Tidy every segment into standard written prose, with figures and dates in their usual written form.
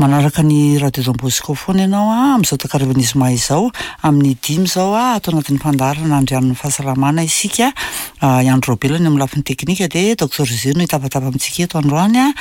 Manaraka ny Radio Don Bosco foana ianao amin'izao takarivan'ny zoma izao, amin'ny dimy izao ato anatin'ny fandaharana Andrianin'ny fahasalamana isika. I Andry Raobelina eo amin'ny lafiny teknika dia Docteur José no hitapatapa amintsika eto androany.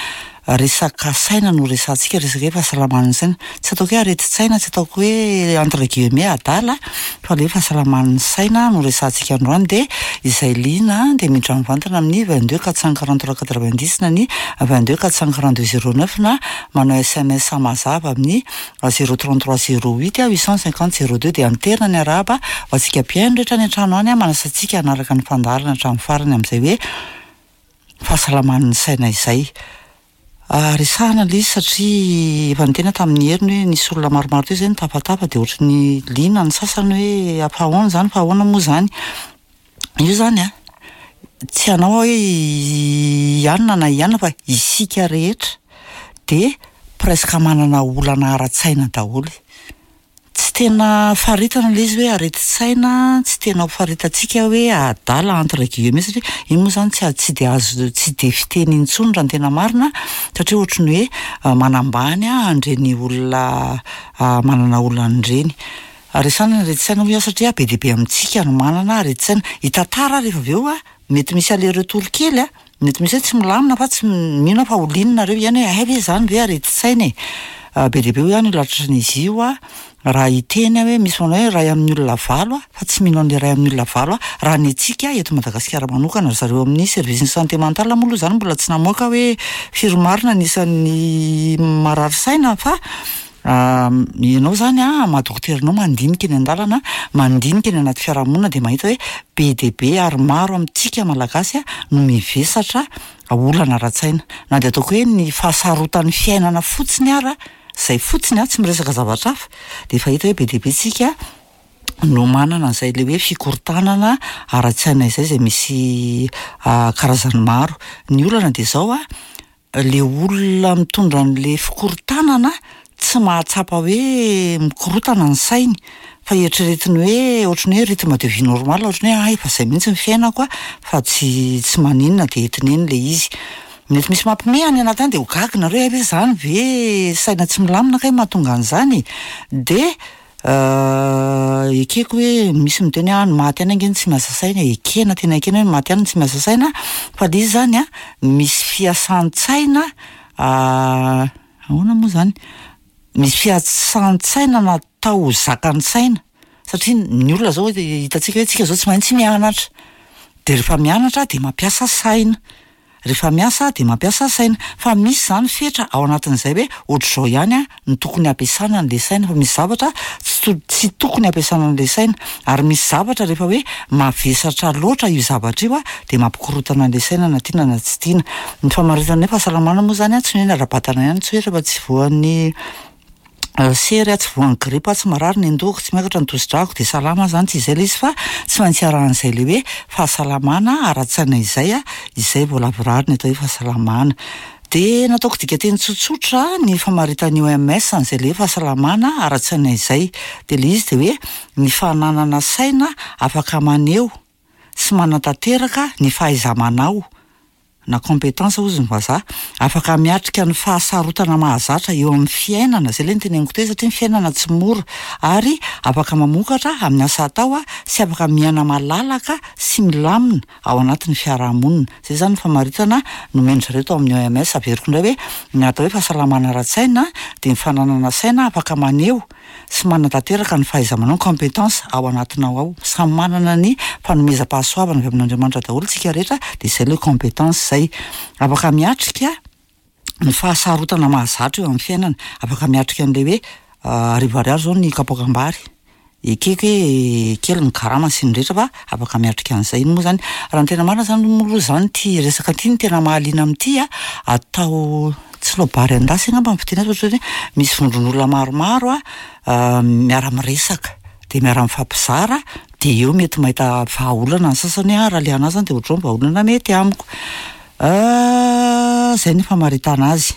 Resaka saina no resahantsika, resaka hoe fahasalaman'ny saina. Tsy ataoko hoe aretin-tsaina, tsy ataoko hoe entre guillemets adala fa ilay hoe fahasalaman'ny saina no resahantsika androany dia izay liana dia miditra mivantana amin'ny 22 443 90 na ny 22 442 09 na manao sms mazava amin'ny 033 08 850 02 dia anterina ny arahaba ho antsika mpihaino rehetra any an-trano any manasa antsika hanaraka ny fandaharana hatramin'ny farany amin'izay hoe fahasalaman'ny saina izay. Resahana ilay izy satria efa niteny aho tamin'ny heriny hoe nisy olona maromaro teo izay nitafatafa dia ohatry ny liana ny sasany hoe fa ahoana izany fa ahoana moa izany. Io izany an, tsy hanao aho hoe i anona na i anona fa isika rehetra dia presque manana olana ara-tsaina daholo. Tsy tena faritana ilay izy hoe aretin-tsaina, tsy tena ho faritantsika hoe adala entre guillemets satria iny moa izany tsy tsy dia azo tsy dia fiteny intsony raha ny tena marina satria ohatry ny hoe manambany an'ireny olona manana olana ireny. Resahana ny aretin-tsaina hoy aho satria be dia be amintsika no manana aretin-tsaina. Hitantara aho rehefa avy eo a, mety misy aller retour kely a, mety misy hoe tsy milamina fa tsy mino aho fa ho liana nareo ihany hoe hay ve izany ve aretin-tsaina e! Be dia be hoy aho ny olona tratran'izy io a, raha hiteny aho hoe misy manao hoe iray amin'ny olona valo aho fa tsy mino an'ilay iray amin'ny olona valo aho, raha ny antsika eto Madagasikara manokana, ry zareo amin'ny service ny santé mentale moa aloha izany mbola tsy namoaka hoe firy marina ny isan'ny marary saina fa Ianao izany an, maha dokotera anao mandinika eny an-dalana, mandinika eny anaty fiarahamonina dia mahita hoe be dia be ary maro amintsika Malagasy no mivesatra olana ara-tsaina. Na dia ataoko hoe ny fahasarotan'ny fiainana fotsiny ara, izay fotsiny an, tsy miresaka zavatra hafa, dia efa hita hoe be dia be tsika no manana an'izay ilay hoe fikorontanana ara-tsaina izay, izay misy karazany maro. Ny olana dia izao an, Le olona mitondra an'le fikorontanana tsy mahatsapa hoe mikorotana ny sainy fa eritreretiny hoe ohatran'ny hoe rythme de vie normal ohatran'ny hoe hay efa zay mihitsy ny fiainako a fa tsy tsy maninona de entiny eny le izy. Mety misy mampime any anaty any de ho gaga nareo hay ve zany ve saina tsy milamina kay mahatonga an'izany e? De Ekeko hoe misy miteny hoe ah ny maty ihany ange no tsy miasa saina e, ekena tena ekena hoe ny maty ihany no tsy miasa saina fa le izy zany an misy fiasan-tsaina ahoana moa zany, misy fiasan-tsaina natao ho zakan'ny saina satria ny olona zao hitantsika hoe tsika zao tsy maintsy mianatra, de rehefa mianatra de mampiasa saina. Rehefa miasa dia mampiasa saina. Fa misy izany fetra ao anatin'izay hoe ohatr'izao ihany no tokony hampiasana an'ilay saina fa misy zavatra tsy tsy tokony hampiasana an'ilay saina. Ary misy zavatra rehefa hoe mavesatra loatra io zavatra io dia mampikorontana an'ilay saina na tiana na tsy tiana. Ny famaritana ny hoe fahasalamana moa izany tsy ny hoe ny ara-batana ihany, tsy hoe rehefa tsy voan'ny sery aho, tsy voan'ny gripa aho, tsy marary ny andohako, tsy miakatra ny tosi-drako dia salama aho izany, tsy izay ilay izy fa tsy maintsy arahan'izay ilay hoe fahasalamana ara-tsaina izay, izay vao lavorary ny atao hoe fahasalamana. Dia nataoko dikanteny tsotsotra ny famaritan'ny OMS an'izay ilay hoe fahasalamana ara-tsaina izay. Dia ilay izy dia hoe ny fananana saina afaka maneho sy manatanteraka ny fahaiza-manao na compétence hozy ny vazaha, afaka miatrika ny fahasarotana mahazatra eo amin'ny fiainana, izay ilay noteneniko teo satria ny fiainana tsy mora, ary afaka mamokatra amin'ny asa atao sy afaka miaina malalaka sy milamina ao anatin'ny fiarahamonina. Izay izany ny famaritana nomen-dry zareo tao amin'ny OMS. Averiko indray hoe ny atao hoe fahasalamana ara-tsaina dia ny fananana saina afaka maneho sy manatanteraka ny fahaiza-manao, compétence, ao anatinao ao. Samy manana ny fanomezam-pahasoavana avy amin'Andriamanitra daholo tsika rehetra dia izay ilay compétence izay. Afaka miatrika ny fahasarotana mahazatra eo amin'ny fiainana, afaka miatrika an'ilay hoe arivo ariary izao ny kapoakam-bary, ekeko hoe kely ny karama sy ny rehetra fa afaka miatrika an'izay. Iny moa izany, raha ny tena marina izany moa aloha izany ity resaka ity no tena mahaliana amin'ity a, atao tsy loabary an-dasy angamba ny fiteny azy fa ohatran'ny hoe misy vondron'olona maromaro a miara-miresaka dia miara-mifampizara dia eo mety mahita vahaolana ny sasany hoe ah raha le anah zany dia ohatr'izao ny vahaolana mety amiko. Izay ny famaritana azy.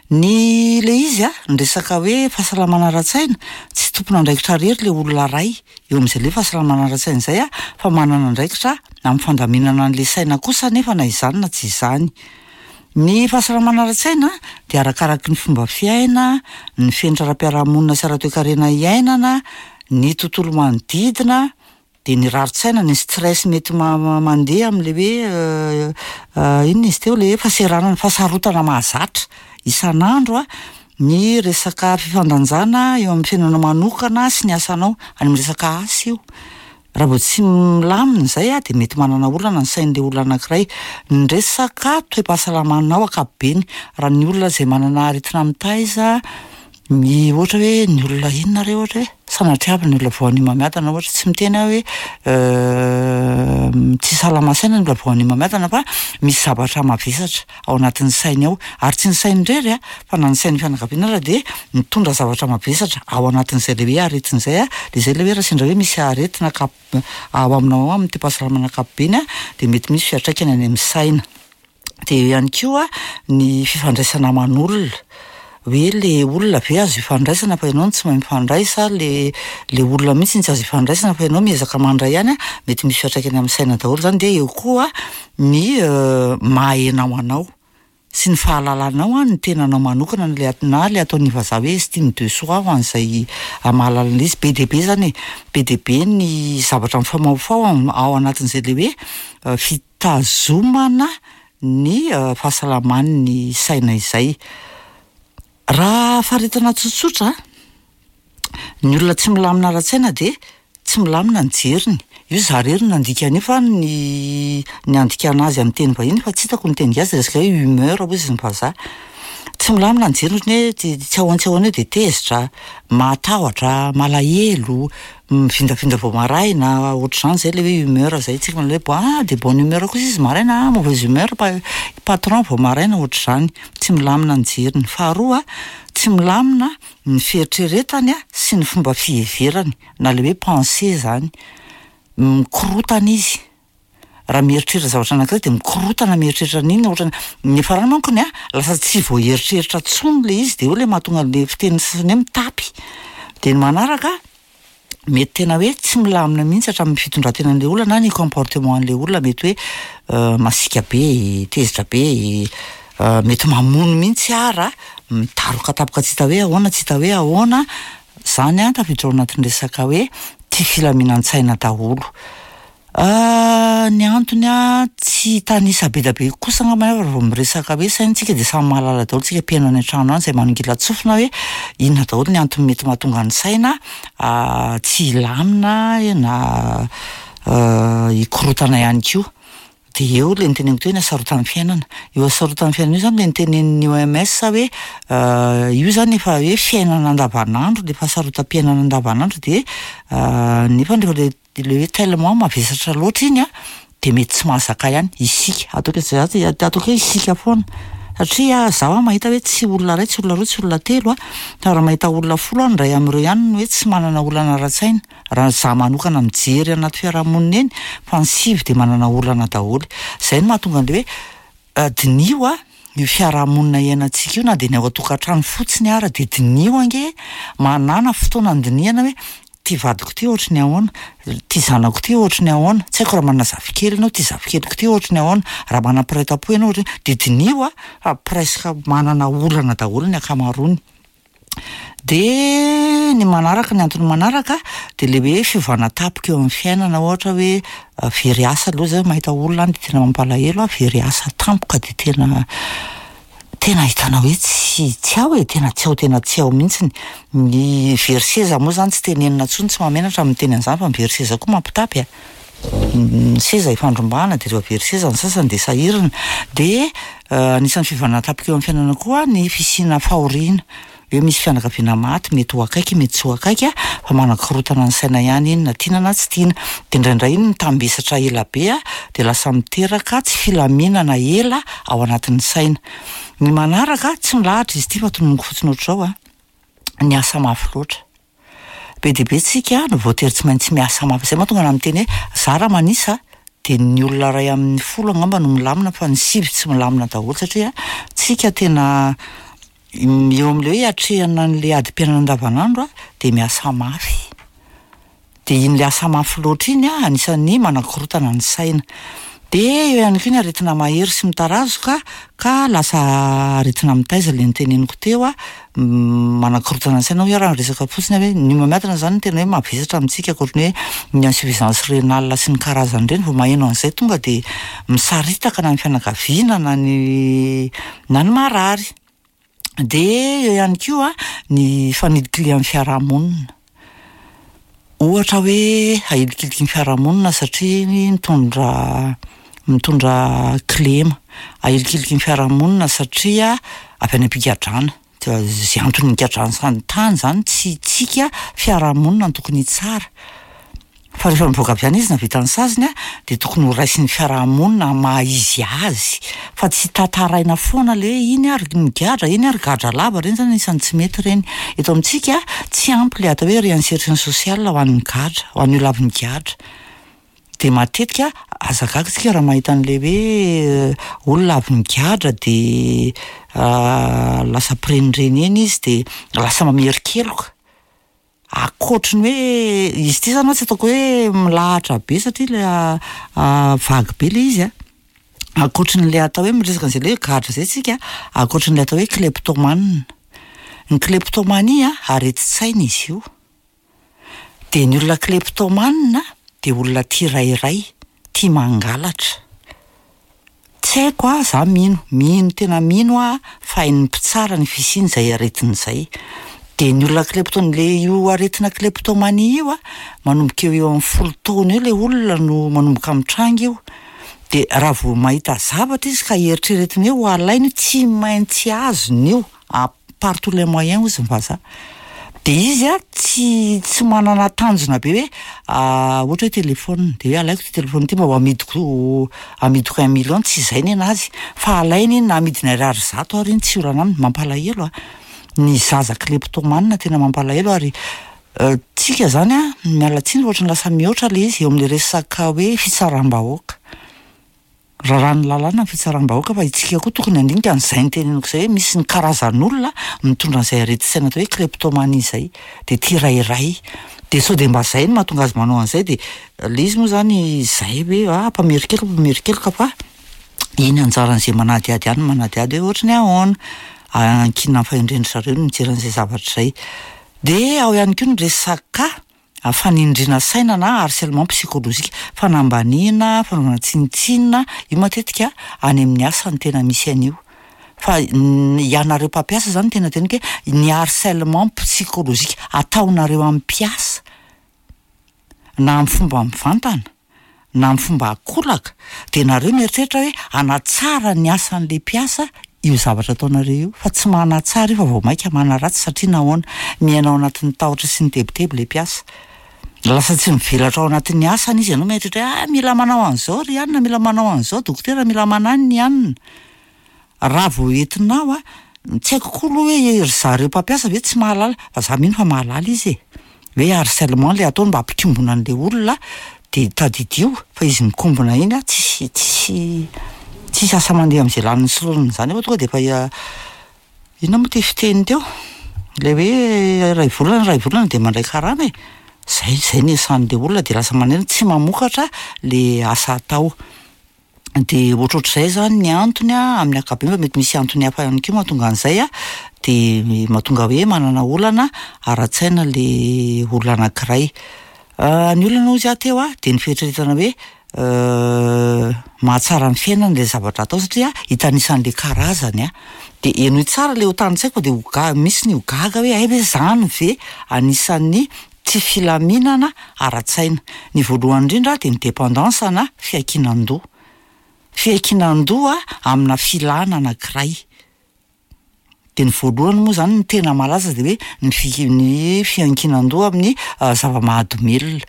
Ny le izy a, ny resaka hoe fahasalamana ara-tsaina, tsy tompon'andraikitra irery le olona iray eo amin'izay le hoe fahasalamana ara-tsaina izay a, fa manana andraikitra amin'ny fandaminana an'le saina kosa anefa na izany na tsy izany. Ny fahasalamana ara-tsaina dia arakaraky ny fomba fiaina, ny fenitra ara-piarahamonina sy ara-toekarena iainana, ny tontolo manodidina, dia ny rarin-tsaina, ny stress mety mandeha amin'ilay hoe inona izy teo, ilay hoe fahaseranana, fahasarotana mahazatra isan'andro an, ny resaka fifandanjana eo amin'ny fiainanao manokana sy ny asanao, any amin'ny resaka asa io. Raha vao tsy milamina izay an, dia mety manana olana ny sain'ilay olona anankiray. Ny resaka toe-pahasalamanao ankapobeny, raha ny olona izay manana aretina mitaiza, ny ohatra hoe ny olona inona re ohatra e? Sanatria avy ny olona voan'ny homamiadana ohatra, tsy miteny aho hoe tsy salama saina ny olona voan'ny homamiadana fa misy zavatra mavesatra ao anatin'ny sainy ao, ary tsy ny sainy irery an, fa na ny sain'ny fianakaviana ara dia mitondra zavatra mavesatra ao anatin'izay le hoe aretina izay an, dia izay le hoe raha sendra hoe misy aretina ankap- ao aminao ao amin'ny toe-pahasalamana ankapobeny an, dia mety misy fiantraikany any amin'ny saina. Dia eo ihany koa ny fifandraisana aman'olona, hoe le olona ve azo ifandraisana fa ianao no tsy mahay mifandray sa le le olona mihitsy no tsy azo ifandraisana fa ianao miezaka mandray ihany an, mety misy fiantraikany amin'ny saina daholo izany, dia eo koa ny maha enao anao sy ny fahalalanao ny tenanao manokana na le na le ataon'ny vazaha hoe estime de soi ho an'izay mahalala an'izy, be dia be izany e, be dia be ny zavatra mifamahofaho ao anatin'izay le hoe fitazomana ny fahasalaman'ny saina izay. Raha faritana tsotsotra, ny olona tsy milamina ara-tsaina dia tsy milamina ny jeriny. Io za irery no nandika an'io fa ny ny andikana azy amin'ny teny vahiny fa tsy hitako ny teny gasy dia resaka hoe humeur hozy ny vazaha. Tsy milamina ny jeriny ohatran'ny hoe tsy tsy ahoana tsy ahoana eo dia tezitra, mahatahotra, malahelo, mivindavinda vao maraina, ohatr'izany zay le hoe humeur zay, tsika manao hoe ah de bonne humeur kosa izy maraina, ah mauvaise humeur pa- patron vao maraina, ohatr'izany. Tsy milamina ny jeriny. Faharoa, tsy milamina ny fieritreretany sy ny fomba fiheverany na le hoe pensée zany. Mikorotana izy. Raha mieritreritra zavatra anankiray dia mikorotana mieritreritra an'iny ohatrany, ny farany mankony an, lasa tsy voaeritreritra intsony le izy dia eo le mahatonga an'le fitenin'ny sasany hoe mitapy. Dia ny manaraka, mety tena hoe tsy milamina mihitsy hatramin'ny fitondran-tenan'ilay olona na ny comportement an'ilay olona mety hoe masiaka be, tezitra be, mety mamono mihitsy ara, midaroka tampoka tsy hita hoe ahoana tsy hita hoe ahoana, zany an tafiditra ao anatin'ny resaka hoe tsy filaminan-tsaina daholo. Ny antony an, tsy hitanisa be dia be kosa angamba aho raha vao miresaka hoe saina tsika dia samy mahalala daholo tsika mpihaino any an-trano any izay manongilan-tsofina hoe inona daholo ny antony mety mahatonga ny saina tsy hilamina na hikorontana ihany koa. Dia eo ilay noteneniko teo hoe ny hasarotan'ny fiainana. Io hasarotan'ny fiainana io izany ilay notenenin'ny OMS hoe io izany efa hoe fiainana andavanandro, ilay fahasarotam-piainana andavanandro dia nefa rehefa ilay ilay hoe tellement mavesatra loatra iny an, dia mety tsy mahazaka ihany isika, ataoko za tsy ataoko hoe isika foana, satria zaho mahita hoe tsy olona iray, tsy olona roa, tsy olona telo an, fa raha mahita olona folo aho, ny iray amin'ireo ihany no hoe tsy manana olana ara-tsaina, raha za manokana mijery anaty fiarahamonina eny, fa ny sivy dia manana olana daholo, izay no mahatonga an'ilay hoe diniho an io fiarahamonina iainantsika io na dia ny ao an-tokantrano fotsiny ara dia diniho ange, manàna fotoana andinihana hoe ty vadiko ty ohatry ny ahoana, ty zanako ty ohatry ny ahoana, tsy haiko raha manana zafikely ianao, ty zafikeliko ty ohatry ny ahoana, raha manana mpiray tampo ianao ohatry ny, dia diniho a, fa presque manana olana daholo ny ankamaroany. Dia ny manaraka, ny antony manaraka dia le hoe fiovana tampoka eo amin'ny fiainana, ohatra hoe very asa aloha zay mahita olona any dia tena mampalahelo a, very asa tampoka dia tena tena ahitana hoe tsy tsy ao e, tena tsy ao tena tsy ao mihitsiny. Ny very seza moa zany tsy tenenina intsony, tsy mahamenatra ny miteny an'izany fa ny very seza koa mampitapy a. Ny seza ifandrombahana dia rehefa very seza ny sasany dia sahirana. Dia anisan'ny fiovana tampoka eo amin'ny fiainana koa ny fisiana fahoriana, hoe misy fianakaviana maty, mety ho akaiky, mety tsy ho akaiky fa manakorontana ny saina ihany iny na tiana na tsy tiana. Dia indraindray iny mitambesatra ela be dia lasa miteraka tsy filaminana ela ao anatin'ny saina. Ny manaraka, tsy milahatra izy ity fa tononiko fotsiny ohatr'izao an, ny asa mafy loatra. Be dia be tsika no voatery tsy maintsy miasa mafy. Izay mahatonga anah miteny hoe za raha manisa dia ny olona iray amin'ny folo angamba no milamina fa ny sivy tsy milamina daholo satria tsika tena eo amin'ilay hoe hiatrehana an'ilay adim-piainana andavanandro dia miasa mafy. Dia iny le asa mafy loatra iny anisan'ny manakorontana ny saina. Dia eo ihany koa ny aretina mahery sy mitarazoka ka lasa aretina mitaiza ilay noteneniko teo a, manakorontana ny saina hoy aho raha miresaka fotsiny aho hoe ny homamiadana izany no tena hoe mavesatra amintsika ankoatry ny hoe ny insuffisance rénale sy ny karazany ireny, vao maheno an'izay tonga dia misaritaka na ny fianakaviana na ny na ny marary. Dia eo ihany koa ny fanilikilihan'ny fiarahamonina. Ohatra hoe ahilikiliky ny fiarahamonina satria mitondra mitondra kilema. Ahilikiliky ny fiarahamonina satria avy any am-pigadrana. Izay antony nigadrany tany izany tsy tsika fiarahamonina no tokony hitsara. Fa rehefa mivoaka avy any izy nahavita ny saziny dia tokony ho raisin'ny fiaraha-monina amin'ny maha izy azy fa tsy tantaraina foana le hoe iny ary nigadra, iny ary gadra lava, ireny zany anisan'ny tsy mety ireny. Eto amintsika tsy ampy le atao hoe réinsertion sociale ho an'ny gadra, ho an'ny olona avy nigadra. Dia matetika aza gaga isika raha mahita an'le hoe olona avy nigadra dia lasa mpirenireny eny izy dia lasa mamerin-keloka. Ankoatry ny hoe izy ity zany tsy ataoko hoe milahatra be satria ilay vague be ilay izy an, ankoatry ny le atao hoe miresaka an'izay le hoe gadra zay tsika, ankoatry ny le atao hoe kleptomane, ny kleptomanie an aretin-tsaina izy io, de ny olona kleptomane de olona tia rairay, tia mangalatra. Tsy haiko a, za mino, mino tena mino aho fa hain'ny mpitsara ny fisian'izay aretina izay. Dia ny olona klepto, le io aretina kleptomanie io a, manomboka eo eo amin'ny folo taona eo le olona no manomboka mitranga io. Dia raha vao mahita zavatra izy ka eritreretiny hoe ho alainy io, tsy maintsy azony io. Par tous les moyens hozy ny vazaha. De izy a tsy tsy manana tanjona be hoe ohatra hoe téléphone de hoe alaiko ty téléphone ty mba ho amidiko amidiko un million tsy izay nenazy fa alainy iny na amidiny ariary zato ary iny tsy olana aminy, mampalahelo a! Ny zaza kleptomane tena mampalahelo ary tsika zany a miala tsiny fa ohatran'ny lasa mihoatra le izy eo amle resaka hoe fitsaram-bahoaka. Raràn'ny lalàna ny fitsaram-bahoaka fa isika koa tokony handinika an'izay noteneniko izay hoe misy ny karazan'olona mitondra an'izay aretin-tsaina atao hoe kleptomanie izay, dia tia rairay, dia sao dia mba izay no mahatonga azy manao an'izay dia ilay izy moa izany izay hoe ah mpamerin-keloka mpamerin-keloka fa iny anjaran'izay manadihady ihany no manadihady hoe ohatry ny ahoana, ankinina amin'ny fahendren-dry zareo ny mijery an'izay zavatra izay. Dia ao ihany koa ny resaka Fanindriana saina na harcèlement psychologique, fanambaniana, fanaovana tsinontsinona, io matetika any amin'ny asa no tena misy an'io. Fa ianareo mpampiasa zany tena teneniko hoe ny harcèlement psychologique ataonareo amin'ny mpiasa na amin'ny fomba mivantana na amin'ny fomba ankolaka dia nareo mieritreritra hoe hanatsara ny asan'ilay mpiasa io zavatra ataonareo io fa tsy manatsara io fa vao maika manaratsy satria nahoana? Miaina ao anatin'ny tahotra sy ny tebiteby ilay mpiasa. Lasa tsy mivelatra ao anatin'ny asany izy, ianao mieritreritra hoe ah mila manao an'izao ry anona, mila manao an'izao dokotera, mila mananona i anona. Raha vao entinao a, tsy haiko koa aloha hoe ry zareo mpampiasa ve tsy mahalala, fa za mino fa mahalala izy e, hoe harcèlement le ataony mba hampikombona an'le olona, de tadidio fa izy mikombona iny a tsisy tsisy tsisy asa mandeha am'zay laniny sy laoniny zany eo fa tonga de efa inona moa ty fiteny teo, le hoe iray volana iray volana de mandray karama e, zay zay ny asan'le olona de lasa maneno tsy mamokatra le asa atao. Dia ohatrohatr'izay izany ny antony an, amin'ny ankapobeny fa mety misy antony hafa ihany koa mahatonga an'izay an, dia mahatonga hoe manana olana ara-tsaina ilay olona anankiray. Ny olana hozy aho teo an, dia ny fieritreretana hoe mahatsara ny fiainana ilay zavatra atao satria hitanisa an'ilay karazany an. Dia henoy tsara ilay ho tanisaiko fa dia ho ga- misy ny ho gaga hoe hay ve izany ve anisan'ny tsy filaminana ara-tsaina. Ny voalohany indrindra dia ny dépendance na fiankinan-doha. Fiankinan-doha amina filana anankiray. Dia ny voalohany moa izany ny tena malaza dia hoe ny fi- ny fiankinan-doha amin'ny zava-mahadomelina.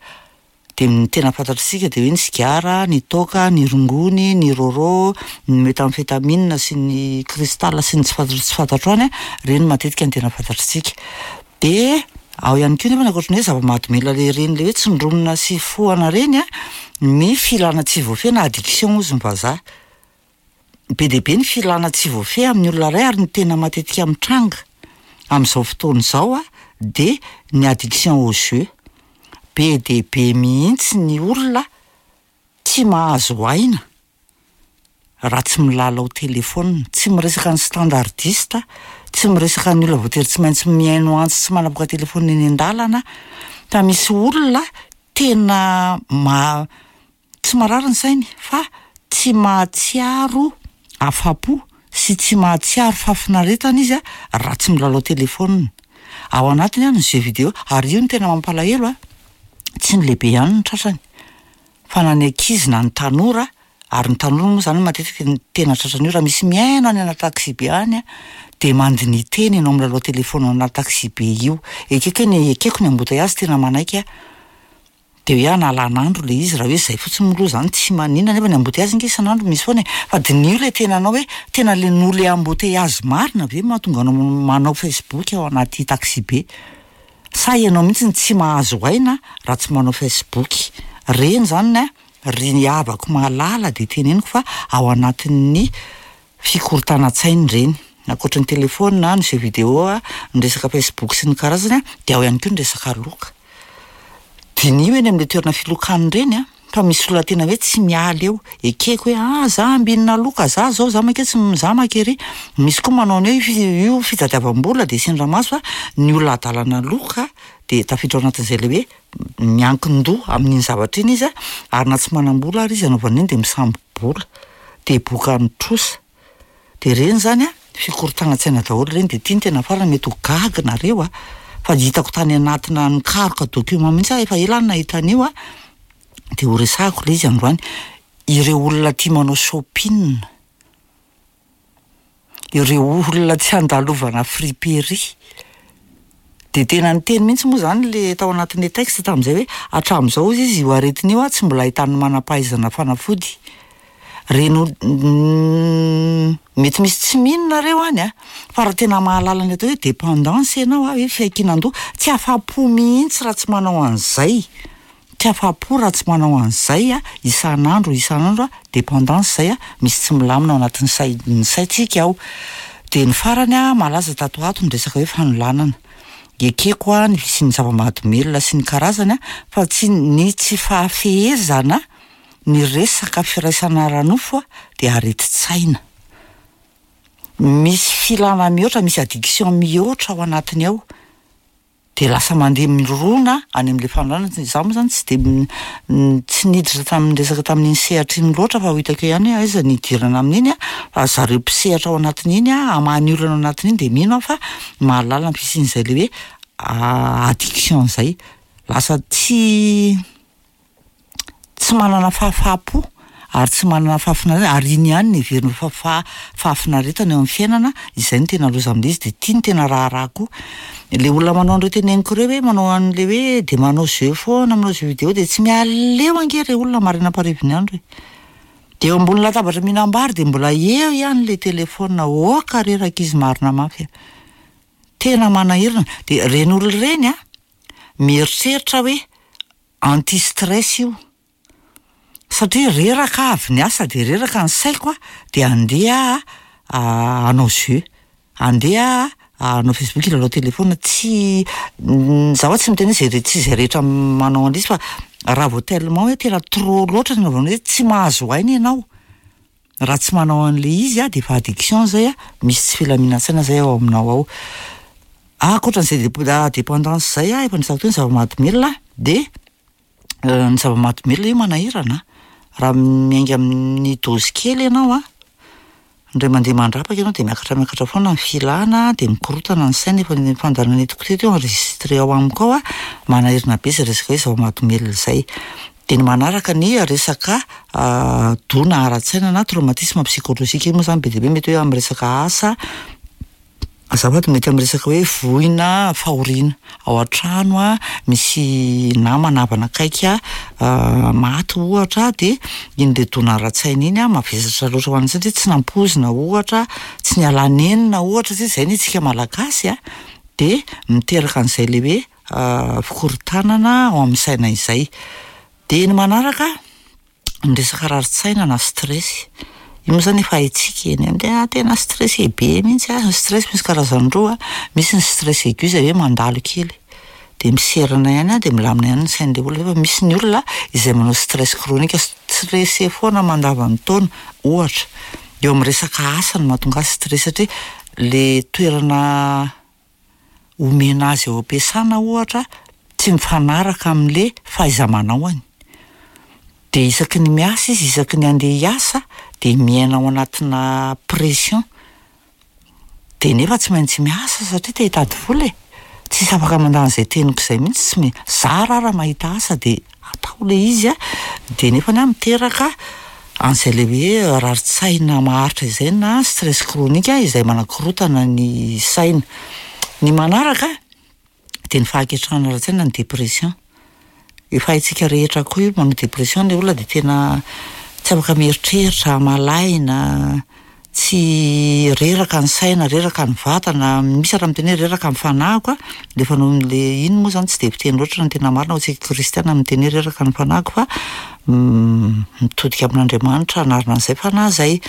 Dia ny tena fantatr'isika dia hoe ny sigara, ny toaka, ny rongony, ny rôrô, ny méthamphétamine sy ny cristal sy ny tsy fantatro tsy fantatro any, ireny matetika no tena fantatr'isika. Dia ao ihany koa nefa ankoatry ny hoe zava-mahadomelina le ireny le hoe tsindronina sy fohana ireny an, ny filana tsy voafehy na addiction hozy ny vazaha. Be dia be ny filana tsy voafehy amin'ny olona iray ary ny tena matetika mitranga amin'izao fotoana izao an dia ny addiction au jeu. Be dia be mihitsy ny olona tsy mahazo aina. raha tsy milalao telefaonina. Tsy miresaka ny standardiste, tsy miresaka ny olona voatery tsy maintsy mihaino antso sy manapoaka telefaonina eny an-dalana, fa misy olona tena ma- tsy marary ny sainy fa tsy mahatsiaro afa-po sy tsy mahatsiaro fahafinaretana izy raha tsy milalao telefaonina. Ao anatiny ny jeux vidéo, ary io no tena mampalahelo a, tsy ny lehibe ihany no tratrany fa na ny ankizy na ny tanora, ary ny tanora moa zany matetika no tena tratran'io, raha misy mihaino any anaty taxi-be any de mandiniha tena ianao milalao telefaonina ao anaty taxi-be io, ekeko hoe ny ekeko ny embouteillage tena manaiky aho, de hoe analan'andro le izy raha hoe zay fotsiny moa aloha zany tsy maninona nefa ny embouteillage ange isan'andro misy foana e, fa diniho le tenanao hoe tena le noho le embouteillage marina ve mahatonga anao manao facebook ao anaty taxi-be? Sa ianao mihitsy no tsy mahazo aina raha tsy manao facebook? Reny zany a, ry havako malala de teneniko fa ao anatin'ny fikorontanan-tsaina ireny. Ankoatry ny telefaonina, ny jeux vidéo, ny resaka facebook sy ny karazany a, de ao ihany koa ny resaka loka. Diniho eny amin'le toerana filokana ireny a, fa misy olona tena hoe tsy miala eo. Ekeko hoe ah za ambinina loka, za zao, za manke tsy, za maka ery. Misy koa manao ny hoe io fitadiavam-bola de asian-dramaso fa ny olona adalana loka de tafiditra ao anatin'izay le hoe miankin-doha amin'iny zavatra iny izy a, ary na tsy manam-bola ary izy anaovana iny de misambo-bola, de bokan'ny trosa. De reny zany a, fikorontanan-tsaina daholo reny, de ty no tena farany mety ho gaga nareo a, fa hitako tany anatina nikaroka document mihitsy aho, efa ela aho no nahita an'io a, de ho resahako le izy androany, ireo olona tia manao shopping, ireo olona tsy andalovana friperie, de tena niteny mihitsy moa zany le tao anatin'le texte tamin'izay hoe hatramin'izao hozy izy io aretina io a tsy mbola ahitan'ny manam-pahaizana fanafody. Reny ol- mety misy tsy mino nareo any a, fa raha tena mahalala ny atao hoe dépendance ianao a, hoe fiankinan-doha, tsy afa-po mihitsy raha tsy manao an'izay. Tsy afa-po raha tsy manao an'izay a, isan'andro isan'andro a, dépendance zay a, misy tsy milamina ao anatin'ny say- ny saintsika ao. De ny farany a, malaza tato ho ato ny resaka hoe fanolanana. Ekeko a ny fisian'ny zava-mahadomelina sy ny karazany a, fa tsy ny tsy fahafehezana ny resaka firaisana ara-nofo a de aretin-tsaina. Misy filana mihoatra, misy addiction mihoatra ao anatiny ao. De lasa mandeha mirona any amin'ilay fanolanana, izaho moa zany tsy de tsy niditra tamin'ny resaka tamin'iny sehatra iny loatra fa ho hitako eo ihany hoe aiza ny hidirana amin'iny a, fa zareo mpisehatra ao anatin'iny a, hamaha ny olana ao anatin'iny de mino aho fa mahalala ny fisian'izay le hoe addiction zay, lasa tsy. tsy manana fahafaham-po ary tsy manana fahafinaretana ary iny ihany no heveriny fa faha- fahafinaretana eo amin'ny fiainana, izay no tena loza amin'ilay izy de ity no tena raharaha koa. Le olona manao an'ireo teneniko ireo hoe manao an'le hoe de manao jeu foana, manao jeu vidéo de tsy miala eo ange re olona maraina am-parivin'ny andro e. De eo ambony latabatra mihinam-bary de mbola eo ihany le telefaonina, aoka re rankizy marina mafy a! Tena manahirana, de ireny olona ireny a, mieritreritra hoe anti stress io satria reraka aho avy niasa de reraka ny saiko a, de andeha aho hanao jeu, andeha aho hanao facebook hilalao telefaonina, tsy zaho tsy miteny hoe zay re- tsy zay rehetra manao an'izy fa raha vao tellement hoe tena trop loatra ny anaovana hoe tsy mahazo aina ianao raha tsy manao an'le izy a de efa addiction zay a, misy tsy filaminan-tsaina zay ao aminao ao. Ankoatran'izay dep- dépendance zay a, efa niresahako teo ny zava-mahadomelina de ny zava-mahadomelina io manahirana, raha miainga amin'ny dose kely ianao a, indray mandeha mandrapaka ianao de miakatra miakatra foana ny filana de mikorontana ny saina, efa ny fandaharana nentiko teto io enregistré ao amiko ao a, manahirana be zay resaka hoe zava-mahadomelina zay. De ny manaraka ny resaka dona ara-tsaina na traumatisme psychologique, io moa zany be dia be mety hoe amin'ny resaka asa, azafady mety amin'ny resaka hoe voina, fahoriana ao an-trano a, misy namana havana akaiky a maty ohatra de iny le dona ara-tsaina iny a mavesatra loatra ho an'ny satria tsy nampoizina ohatra, tsy niala nenina ohatra satria zay anie tsika malagasy a, de miteraka an'izay le hoe fikorontanana ao amin'ny saina izay. De ny manaraka, ny resaka rarin-tsaina na stress, io moa zany efa haintsika eny amin'ny tena tena stressé be mihitsy aho, ny stress misy karazany roa, misy ny stress aigu zay hoe mandalo kely, de miserana ihany a, de milamina ihany ny sain'le olona, fa misy ny olona izay manao stress chronique. Stressé foana mandavan-taona, ohatra. Eo amin'ny resaka asa no mahatonga azy stressé satria le toerana omena azy ao am-piasana ohatra tsy mifanaraka amin'le fahaiza-manaony. Dia isaky ny miasa izy, isaky ny handeha hiasa dia miaina ao anatina pression. Dia nefa tsy maintsy miasa satria te hitady vola e! Tsisy afaka mandà an'izay teniko izay mihitsy, tsy me- zara aho raha mahita asa dia atao ilay izy an, dia nefany an miteraka an'izay ilay hoe rarin-tsaina maharitra izay na stress chronique izay manakorontana ny saina. Ny manaraka dia ny fahaketrahana ara-tsaina ny dépression. Efa haintsika rehetra koa io manao dépression ilay olona dia tena tsy afaka mieritreritra, malaina, tsy reraka ny saina, reraka ny vatana, misy ary miteny hoe reraka ny fanahiko a, rehefa noho le iny moa zany tsy dia fiteny loatra ny tena marina ho antsika kristiana miteny hoe reraka ny fanahiko fa mitodika amin'Andriamanitra hanarina an'izay fanahy izay.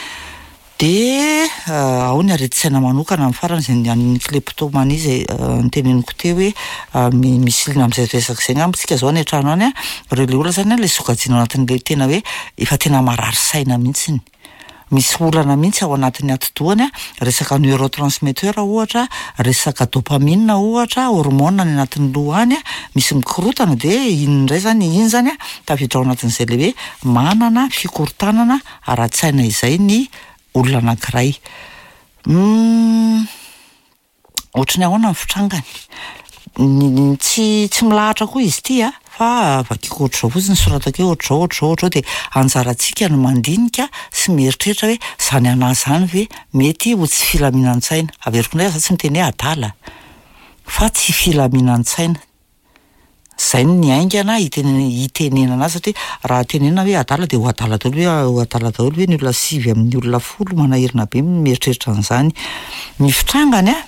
Dia ao ny aretin-tsaina manokana amin'ny farany izay ny an'ny kleptomanie izay noteneniko teo hoe misy liana amin'izay resaka izay angamba isika izao any an-trano any an, ireo ilay olona izany an ilay sokajiana ao anatin'ilay tena hoe efa tena marary saina mihitsiny. Misy olana mihitsy ao anatin'ny atidohany an, resaka neurotransmetteur ohatra, resaka dopamine ohatra, hormone any anatin'ny loha any an, misy mikorontana dia iny indray izany, iny izany an tafiditra ao anatin'izay ilay hoe manana fikorontanana ara-tsaina izay ny olona anankiray. Humm ohatry ny ahoana ny fitrangany? Ny tsy tsy milahatra koa izy ity a, fa vakiko ohatr'izao fotsiny soratako hoe ohatr'izao ohatr'izao ohatr'izao dia anjarantsika no mandinika sy mieritreritra hoe izany anà izany ve mety ho tsy filaminan-tsaina? Averiko indray za tsy miteny hoe adala fa tsy filaminan-tsaina. Zay no niaingana hitenenana azy satria raha tenenina hoe adala dia ho adala daholo ve ho adala daholo ve ny olona sivy amin'ny olona folo manahirana be ny mieritreritra an'izany. Ny fitrangany an,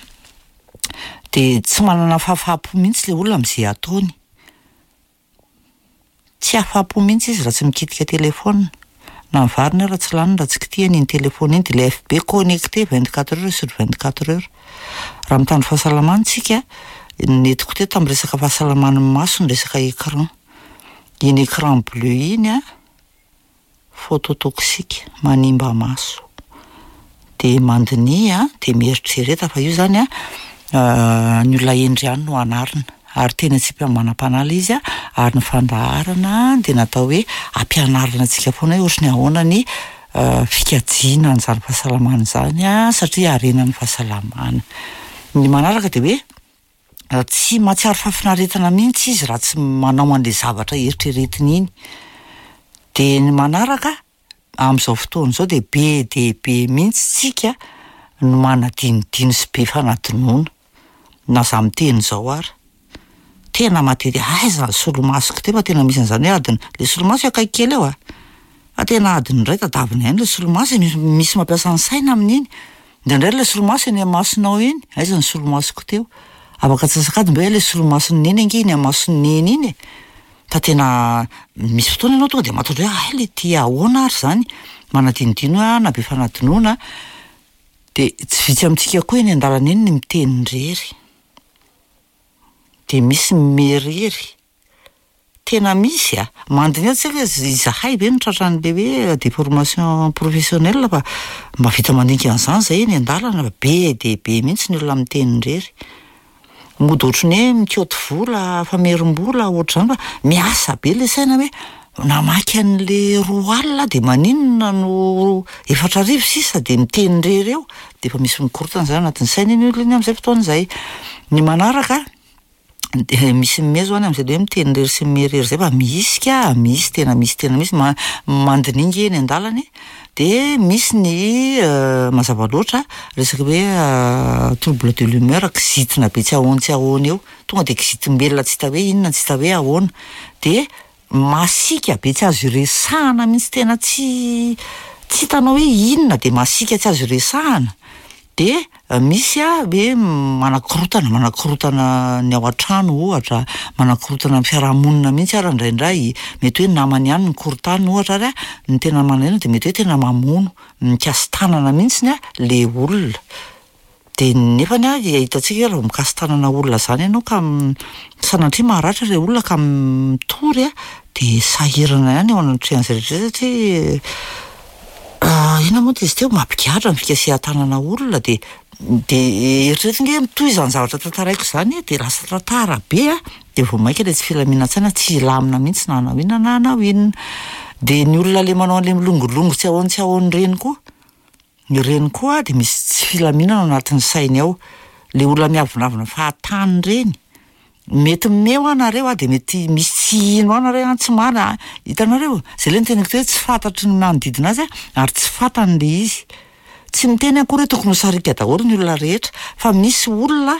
dia tsy manana fahafaham-po mihitsy ilay olona amin'izay ataony. Tsy afa-po mihitsy izy raha tsy mikitika telephone. Na ny variny ara tsy laniny raha tsy kitihany iny telephone iny dia ilay FB connecté 24 heures sur 24 heures. Raha mitandro fahasalamana isika, nentiko teto tamin'ny resaka fahasalaman'ny maso ny resaka écran. Iny écran bleu iny an, phototoxique, manimba maso. Dia mandiniha dia mieritrereta fa io izany an, ny olona hendry ihany no anarina. Ary tena tsy manam-panahy ilay izy an, ary ny fandaharana dia natao hoe hampianarina antsika foana hoe ohatry ny ahoana ny fikajiana an'izany fahasalamana izany an, satria harena ny fahasalamana. Ny manaraka dia hoe tsy mahatsiaro fahafinaretana mihitsy izy raha tsy manao an'ilay zavatra eritreretiny iny. Dia ny manaraka, amin'izao fotoana izao dia be dia be mihitsy tsika no manadinodino sy be fanadinoana, na za miteny izao ara. Tena matetika, aiza ny solomasoko teo fa tena misy an'izany hoe adiny, le solomaso eo akaiky kely eo a, fa tena adiny iray tadiavina ihany le solomaso e, misy misy mampiasa ny saina amin'iny, indraindray le solomaso eny amin'ny masonao eny, aiza ny solomasoko teo, afaka antsasak'adiny ve le solomason'i neny ange iny amin'ny mason'i neny iny e, fa tena misy fotoana ianao tonga de matahotra hoe hay le ty ahoana ary zany, manadinodino hoe ah na be fanadinoana, de tsy vitsy amintsika koa eny an-dalana eny ny miteny irery. Dia misy ny mieriry. Tena misy a! Mandiniha tsy haiko hoe izahay ve no tratran'ilay hoe déformation professionnelle fa mahavita mandinika an'izany izahay eny an-dalana fa be dia be mihitsy ny olona miteny irery. Mody ohatry ny hoe mikaoty vola, famerim-bola ohatr'izany fa miasa be ilay saina hoe namaky an'ilay roa alina aho dia maninona no 4000 sisa dia miteny irery eo. Dia efa misy mikorontana izany anatin'ny saina iny olona iny amin'izay fotoana izay. Ny manaraka dia misy mimehy zao any amin'izay le hoe miteny irery sy mimehy irery izay fa misy ka, misy tena misy tena misy, mandininga eny an-dalana e, dia misy ny mazava loatra resaka hoe trouble de l'humeur, kizitina be tsy ahoana tsy ahoana eo, tonga dia kizitim-belona tsy hita hoe inona tsy hita hoe ahoana, dia Masiaka be tsy azo iresahana mihitsy tena tsy tsy hitanao hoe inona dia masiaka tsy azo iresahana dia misy a hoe manakorontana manakorontana ny ao an-trano ohatra, manakorontana ny fiarahamonina mihitsy ary indraindray, mety hoe namany ihany no korontany ohatra ary a, ny tena manahirana dia mety hoe tena mamono, mikasi-tanana mihitsiny a le olona. Dia nefany an, hitantsika hoe raha vao mikasi-tanana olona izany ianao ka sanatria maratra ilay olona ka mitory an, dia sahirana ihany eo anatrehan'izay rehetra izay satria inona moa izy teo, mampigadra ny fikasihan-tanana olona dia dia eritrereto ange mitohy izany zavatra tantaraiko izany e, dia lasa tantara be an, dia vao mainka ilay tsy filaminan-tsaina tsy hilamina mihitsy na hanao inona na hanao inona. Dia ny olona ilay manao an'ilay milongilongy tsy ahoana tsy ahoana ireny koa, ireny koa dia misy tsy filaminana ao anatin'ny sainy ao. Ilay olona miavonavona fahatany ireny, mety mimehy hoa nareo a, dia mety misy tsy hino ahy nareo an, tsy marina a, hitanareo? Zay ilay noteneniko teo hoe tsy fantatry ny manodidina azy ary tsy fantany ilay izy. Tsy miteny akory hoe tokony ho sariaka daholo ny olona rehetra fa misy olona,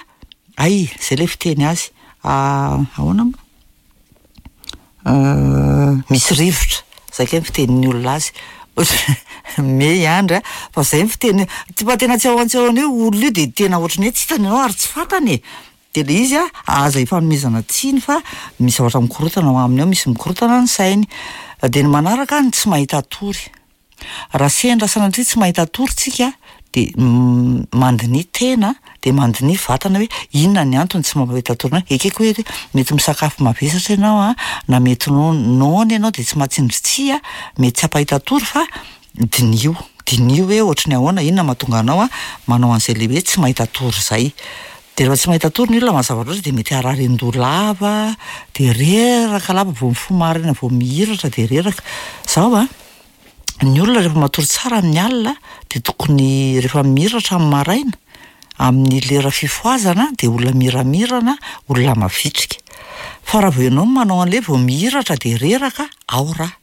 hay, zay ilay fiteny azy, ahoana moa? Misy rivotra, zay kay ny fitenin'ny olona azy, mimehy i Andry a, fa zay ny fiteny, fa tena tsy ahoan-tsy ahoana io olona io de tena ohatran'ny hoe tsy hitany ianao ary tsy fantany e! De le izy a, aza ifanomezana tsiny fa misy zavatra mikorontana ao aminy ao, misy mikorontana ny sainy. De ny manaraka ny tsy mahita tory. Raha sendra sanatria tsy mahita tory tsika dia mandiniha tena dia mandiniha vatana hoe inona ny antony tsy mampahita tory anao. Ekeko hoe mety misakafo mavesatra ianao an, na mety noana ianao dia tsy mahatsindry tsihy an, mety tsy hampahita tory fa diniho, diniho hoe ohatry ny ahoana, inona mahatonga anao manao an'izay le hoe tsy mahita tory izay. Dia rehefa tsy mahita tory ny olona mazava loatra dia mety harary an-doha lava, dia reraka lava vao mifoha maraina vao mihiratra dia reraka. Izao an, ny olona rehefa matory tsara amin'ny alina dia tokony rehefa mihiratra amin'ny maraina, amin'ny lera fifohazana dia olona miramirana, olona mavitrika. Fa raha vao ianao manao an'ilay vao mihiratra dia reraka, ao raha.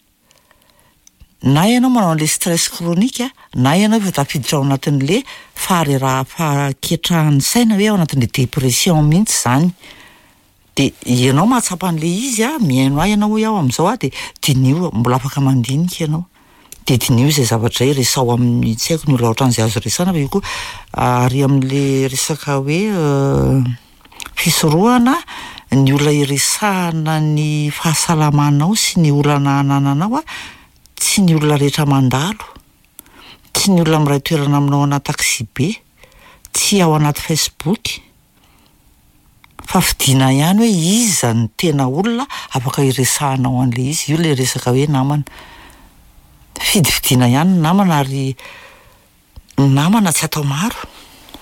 Na ianao manao an'ilay stress chronique na ianao efa tafiditra ao anatin'le fahareraha- fahaketrahan'ny saina hoe ao anatin'le dépression mihitsy izany. De ianao mahatsapa an'le izy a, mihaino ahy ianao hoy aho amin'izao a, de diniho, mbola afaka mandinika ianao. De diniho izay zavatra izay, resaho amin'ny tsy haiko ny olona ohatran'izay azo resahana fa io koa ary amin'le resaka hoe Fisorohana, ny olona iresahana ny fahasalamanao sy ny olana anananao, tsy ny olona rehetra mandalo, tsy ny olona miray toerana aminao anaty taxi-be, tsy ao anaty Facebook, fa fidiana ihany hoe iza no tena olona afaka iresahanao an'ilay izy, io ilay resaka hoe namana. Fidifidiana ihany ny namana ary Ny namana tsy atao maro.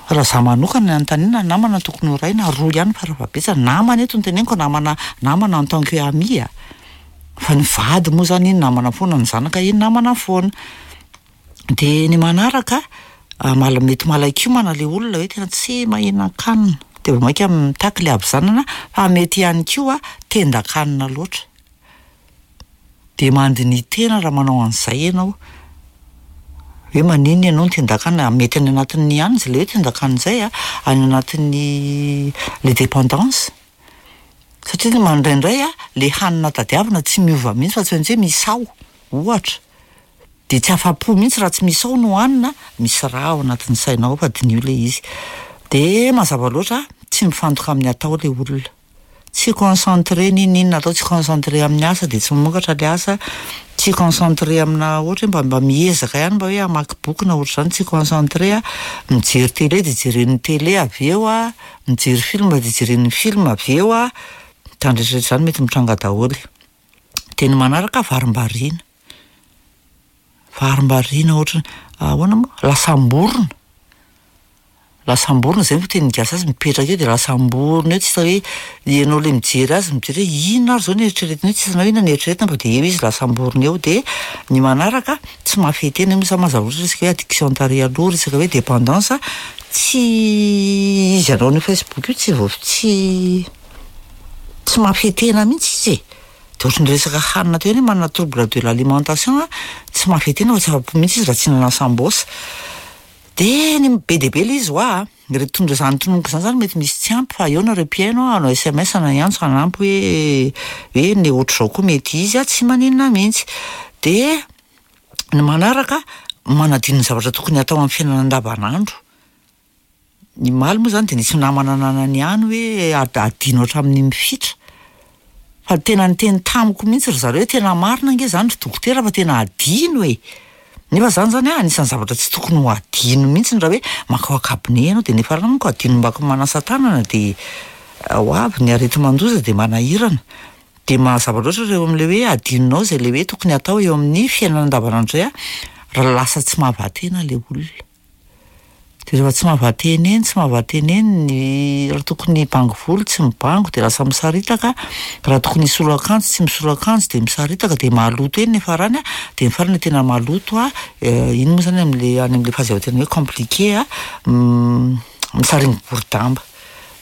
Raha za manokana ny anontaniana, ny namana tokony ho iray na roa ihany farafahabetsany. Namana eto no teneniko, namana namana en tant que ami a! Fa ny vady moa zany iny namana foana, ny zanaka iny namana foana. De ny manaraka, mal- mety malain-kiomana le olona hoe tena tsy mahinan-kanina, de vao mainka mitaky le havizanana, fa mety ihany koa tendan-kanina loatra. Dia mandiniha-tena raha manao an'izay ianao. Hoe maninona ianao no tendan-kanina, mety any anatin'ny ihany izy ilay hoe tendan-kanina izay an, any anatin'ny le dépendance. Satria indraindray an, le hanina tadiavina tsy miova mihitsy fa tsy maintsy hoe misao, ohatra. Dia tsy afa-po mihitsy raha tsy misao no hanina, misy raha ao anatin'ny sainao ao fa diniho ilay izy. Dia mazava loatra, tsy mifantoka amin'ny atao ilay olona. Tsy concentré n'inon'inona atao, tsy concentré amin'ny asa dia tsy mamokatra le asa, tsy concentré amina ohatra hoe mba mba miezaka ihany mba hoe hamaky boky na ohatr'izany, tsy concentré a, mijery télé dia jeren'ny télé avy eo a, mijery film dia jeren'ny film avy eo a, izany rehetra rehetra izany mety mitranga daholo. Dia ny manaraka varimbariana, varimbariana ohatran'ny ahoana moa, lasam-borona. Lasam-borona zay ny fitenin'ny gasy azy, mipetraka eo de lasam-borona eo tsy hita hoe ianao le mijery azy mijery hoe inona ary zao no eritreretina eo, tsy hitanao inona no eritreretina fa de eo izy lasam-borona eo, de ny manaraka tsy mahafehy tena, io moa zany mazava loatra resaka hoe addiction tary aloha, resaka hoe dépendance, tsy izy hanao an'io facebook io tsy vao tsy tsy mahafehy tena mihitsy izy e, de ohatran'ny resaka hanina teo ihany hoe manana trouble de l'alimentation a, tsy mahafehy tena fa tsy afa-po mihitsy izy raha tsy hihinana sambôsa. Dia ny be dia be ilay izy hoa a! Ireto tondro izany tononiko izany zany mety misy tsy ampy fa eo nareo mpihaino a, hanao sms na hiantso hanampy hoe hoe ny ohatr'izao koa mety izy a, tsy maninona mihitsy. Dia ny manaraka, manadino ny zavatra tokony hatao amin'ny fiainana andavanandro. Ny omaly moa izany dia nisy namana nanana ihany hoe adino hatramin'ny mifitra. Fa tena niteny tamiko mihitsy ry zareo hoe tena marina ange izany ry dokotera fa tena adino e! Nefa zany zany an, anisan'ny zavatra tsy tokony ho adino mihitsy raha hoe mankao an-cabinet ianao dia nefa manko adino mba manasa tanana dia ho avy ny areti-mandoza dia manahirana. Dia mazava loatra ireo amin'ilay hoe adinonao izay ilay hoe tokony hatao eo amin'ny fiainana andavanandro izay an, raha lasa tsy mahavaha-tena ilay olona. Dia rehefa tsy mahavaha-tena eny, tsy mahavaha-tena eny ny raha tokony hibango volo tsy mibango dia lasa misaritaka, raha tokony hisolo akanjo tsy misolo akanjo dia misaritaka dia maloto eny ny farany an, dia ny farany tena maloto an, iny moa izany amin'ilay any amin'ilay phase tena hoe compliqué an, misaringo-borodamba.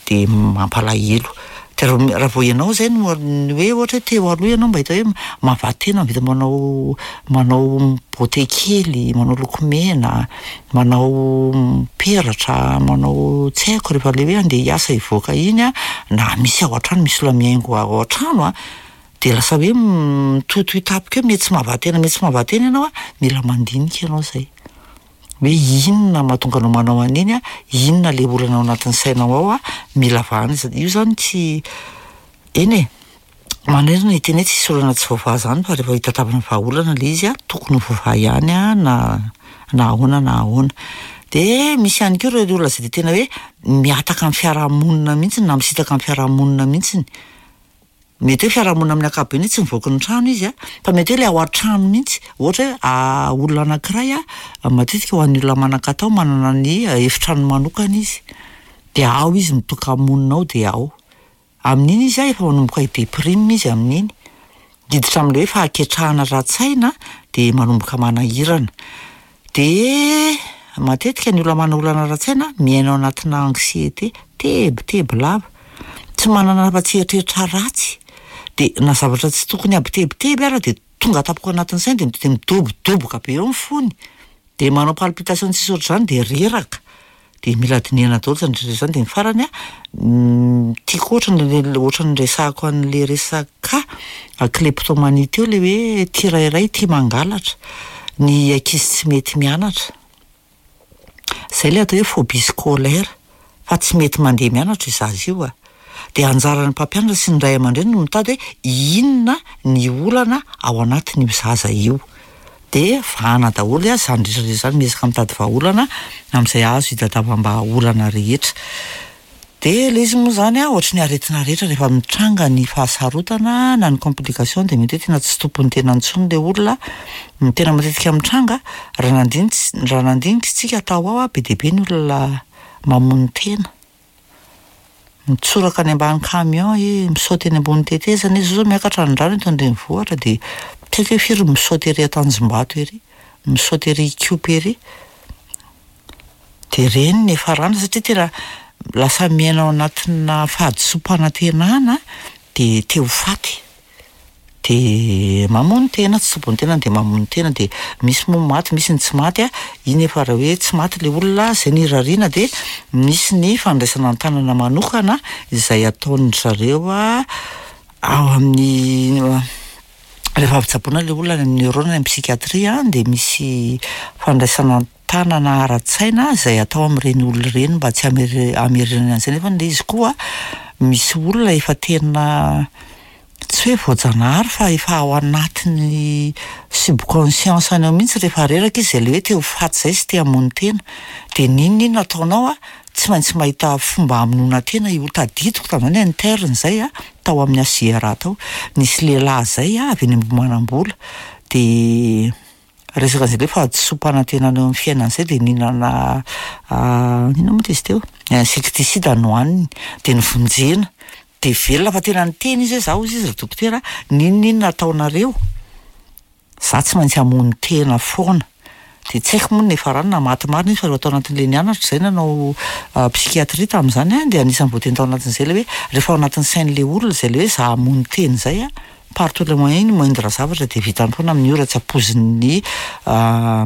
dia mampalahelo. Dia raha vao ianao izay no ny hoe ohatra hoe teo aloha ianao mba hita hoe mahavaha-tena mahavita manao manao beauté kely, manao lokomena, manao peratra, manao tsy haiko rehefa ilay hoe andeha hiasa hivoaka iny an, na misy ao an-trano misy olona mihaingo ao an-trano an, dia lasa hoe mitohitohy tampoka eo, miha tsy mahavaha-tena miha tsy mahavaha-tena ianao an, mila mandinika ianao izay. Hoe inona mahatonga anao manao an'iny an, inona le olana ao anatin'ny sainao ao an, mila vahana izy, io zany tsy, eny e, manerana hiteny hoe tsisy olana tsy voavaha zany fa rehefa hitadiavana vahaolana le izy an, tokony ho voavaha ihany an na na ahoana na ahoana. De misy ihany koa ireo olona izay de tena hoe mihataka amin'ny fiarahamonina mihitsy na misintaka amin'ny fiarahamonina mihitsiny. Mety hoe fiarahamonina amin'ny ankapobeny hoe tsy mivoaka ny trano izy an, fa mety hoe ilay ao an-trano mihitsy, ohatra hoe olona anankiray an, matetika ho an'ny olona manan-katao manana ny efitrano manokana izy, dia ao izy mitoka-monina ao dia ao. Amin'iny izy an efa manomboka hi-deprime izy amin'iny, hiditra amin'ilay hoe fahaketrahana ara-tsaina dia manomboka manahirana. Dia matetika ny olona manana olana ara-tsaina miaina ao anatina anxiété, tebiteby lava, tsy manana afa-tsy eritreritra ratsy, dia na zavatra tsy tokony hampitebiteby ara dia tonga tampoka ao anatin'ny sainy dia midobodoboka be eo ny fony, dia manao palpitation tsisy ohatr'izany dia reraka. Dia mila dinihana daholo izany rehetra izany dia ny farany an, tiako ohatra ny ohatra ny niresahako an'ilay resaka kleptomanie teo ilay hoe tia rairay tia mangalatra, ny ankizy tsy mety mianatra. Izay ilay atao hoe phobie scolaire fa tsy mety mandeha mianatra io zaza io a. Dia anjaran'ny mpampianatra sy ny ray aman-dreny no mitady hoe inona ny olana ao anatin'io zaza io. Dia vahana daholo izany rehetra rehetra izany, miezaka mitady vahaolana amin'izay azo hitadiavam-bahaolana rehetra. Dia ilay izy moa izany an, ohatry ny aretina rehetra rehefa mitranga ny fahasarotana na ny complication dia mety hoe tena tsy tompon'ny tena intsony ilay olona. Ny tena matetika mitranga, raha nandinika raha nandinika isika tao ao an, be dia be ny olona mamono tena. Mitsoraka any ambany camion e, misaoty eny ambony tetezana izy, zao zao miakatra ny rano eto an-drenivohitra dia tsy haiko hoe firy ny misaoty ery Antanjombato ery, misaoty ery Ikopa ery, dia ireny ny hiafarany satria tena lasa miaina ao anatina fahadisoam-panantenana dia te ho faty. Dia mamono tena, tsy tompon'ny tenany dia mamono tena, dia misy moa maty, misy ny tsy maty a, iny efa raha hoe tsy maty ilay olona, izay no irariana dia misy ny fandraisana an-tanana manokana izay ataon-dry zareo ao amin'ny rehefa avy tsaboina ilay olona any amin'ny neuro na any amin'ny psychiatrie dia misy fandraisana an-tanana ara-tsaina izay atao amin'ireny olona ireny mba tsy hamerenany an'izay nefa ilay izy koa misy olona efa tena tsy hoe voajanahary fa efa ao anatin'ny subconscience-ny ao mihitsy rehefa reraka izy izay ilay hoe te ho faty izay sy te hamono tena. Dia n'inon'inona ataonao an, tsy maintsy mahita fomba hamonoana tena io. Tadidiko tamin'izany interne izay an, tao amin'ny HJRA tao, nisy lehilahy izay an, avy eny Ambohimanambola, dia resaka an'izay hoe fahadisoam-panantenana eo amin'ny fiainana izay dia nihinana inona moa izy teo? Insecticide nohaniny, dia novonjena. Dia velona fa tena niteny izy hoe za hozy izy ry dokotera n'inon'inona ataonareo za tsy maintsy hamono tena foana. Dia tsy haiko moa ny niafarany na maty marina izy fa rehefa tao anatin'ilay nianatra izay nanao psychiatrie tamin'izany aho dia anisan'ny voateny tao anatin'izay ilay hoe rehefa ao anatin'ny sain'ilay olona izay ilay hoe za hamono tena izay an, par tous les moyens ny moindre zavatra dia vitany foana amin'ny ora tsy ampoizin'ny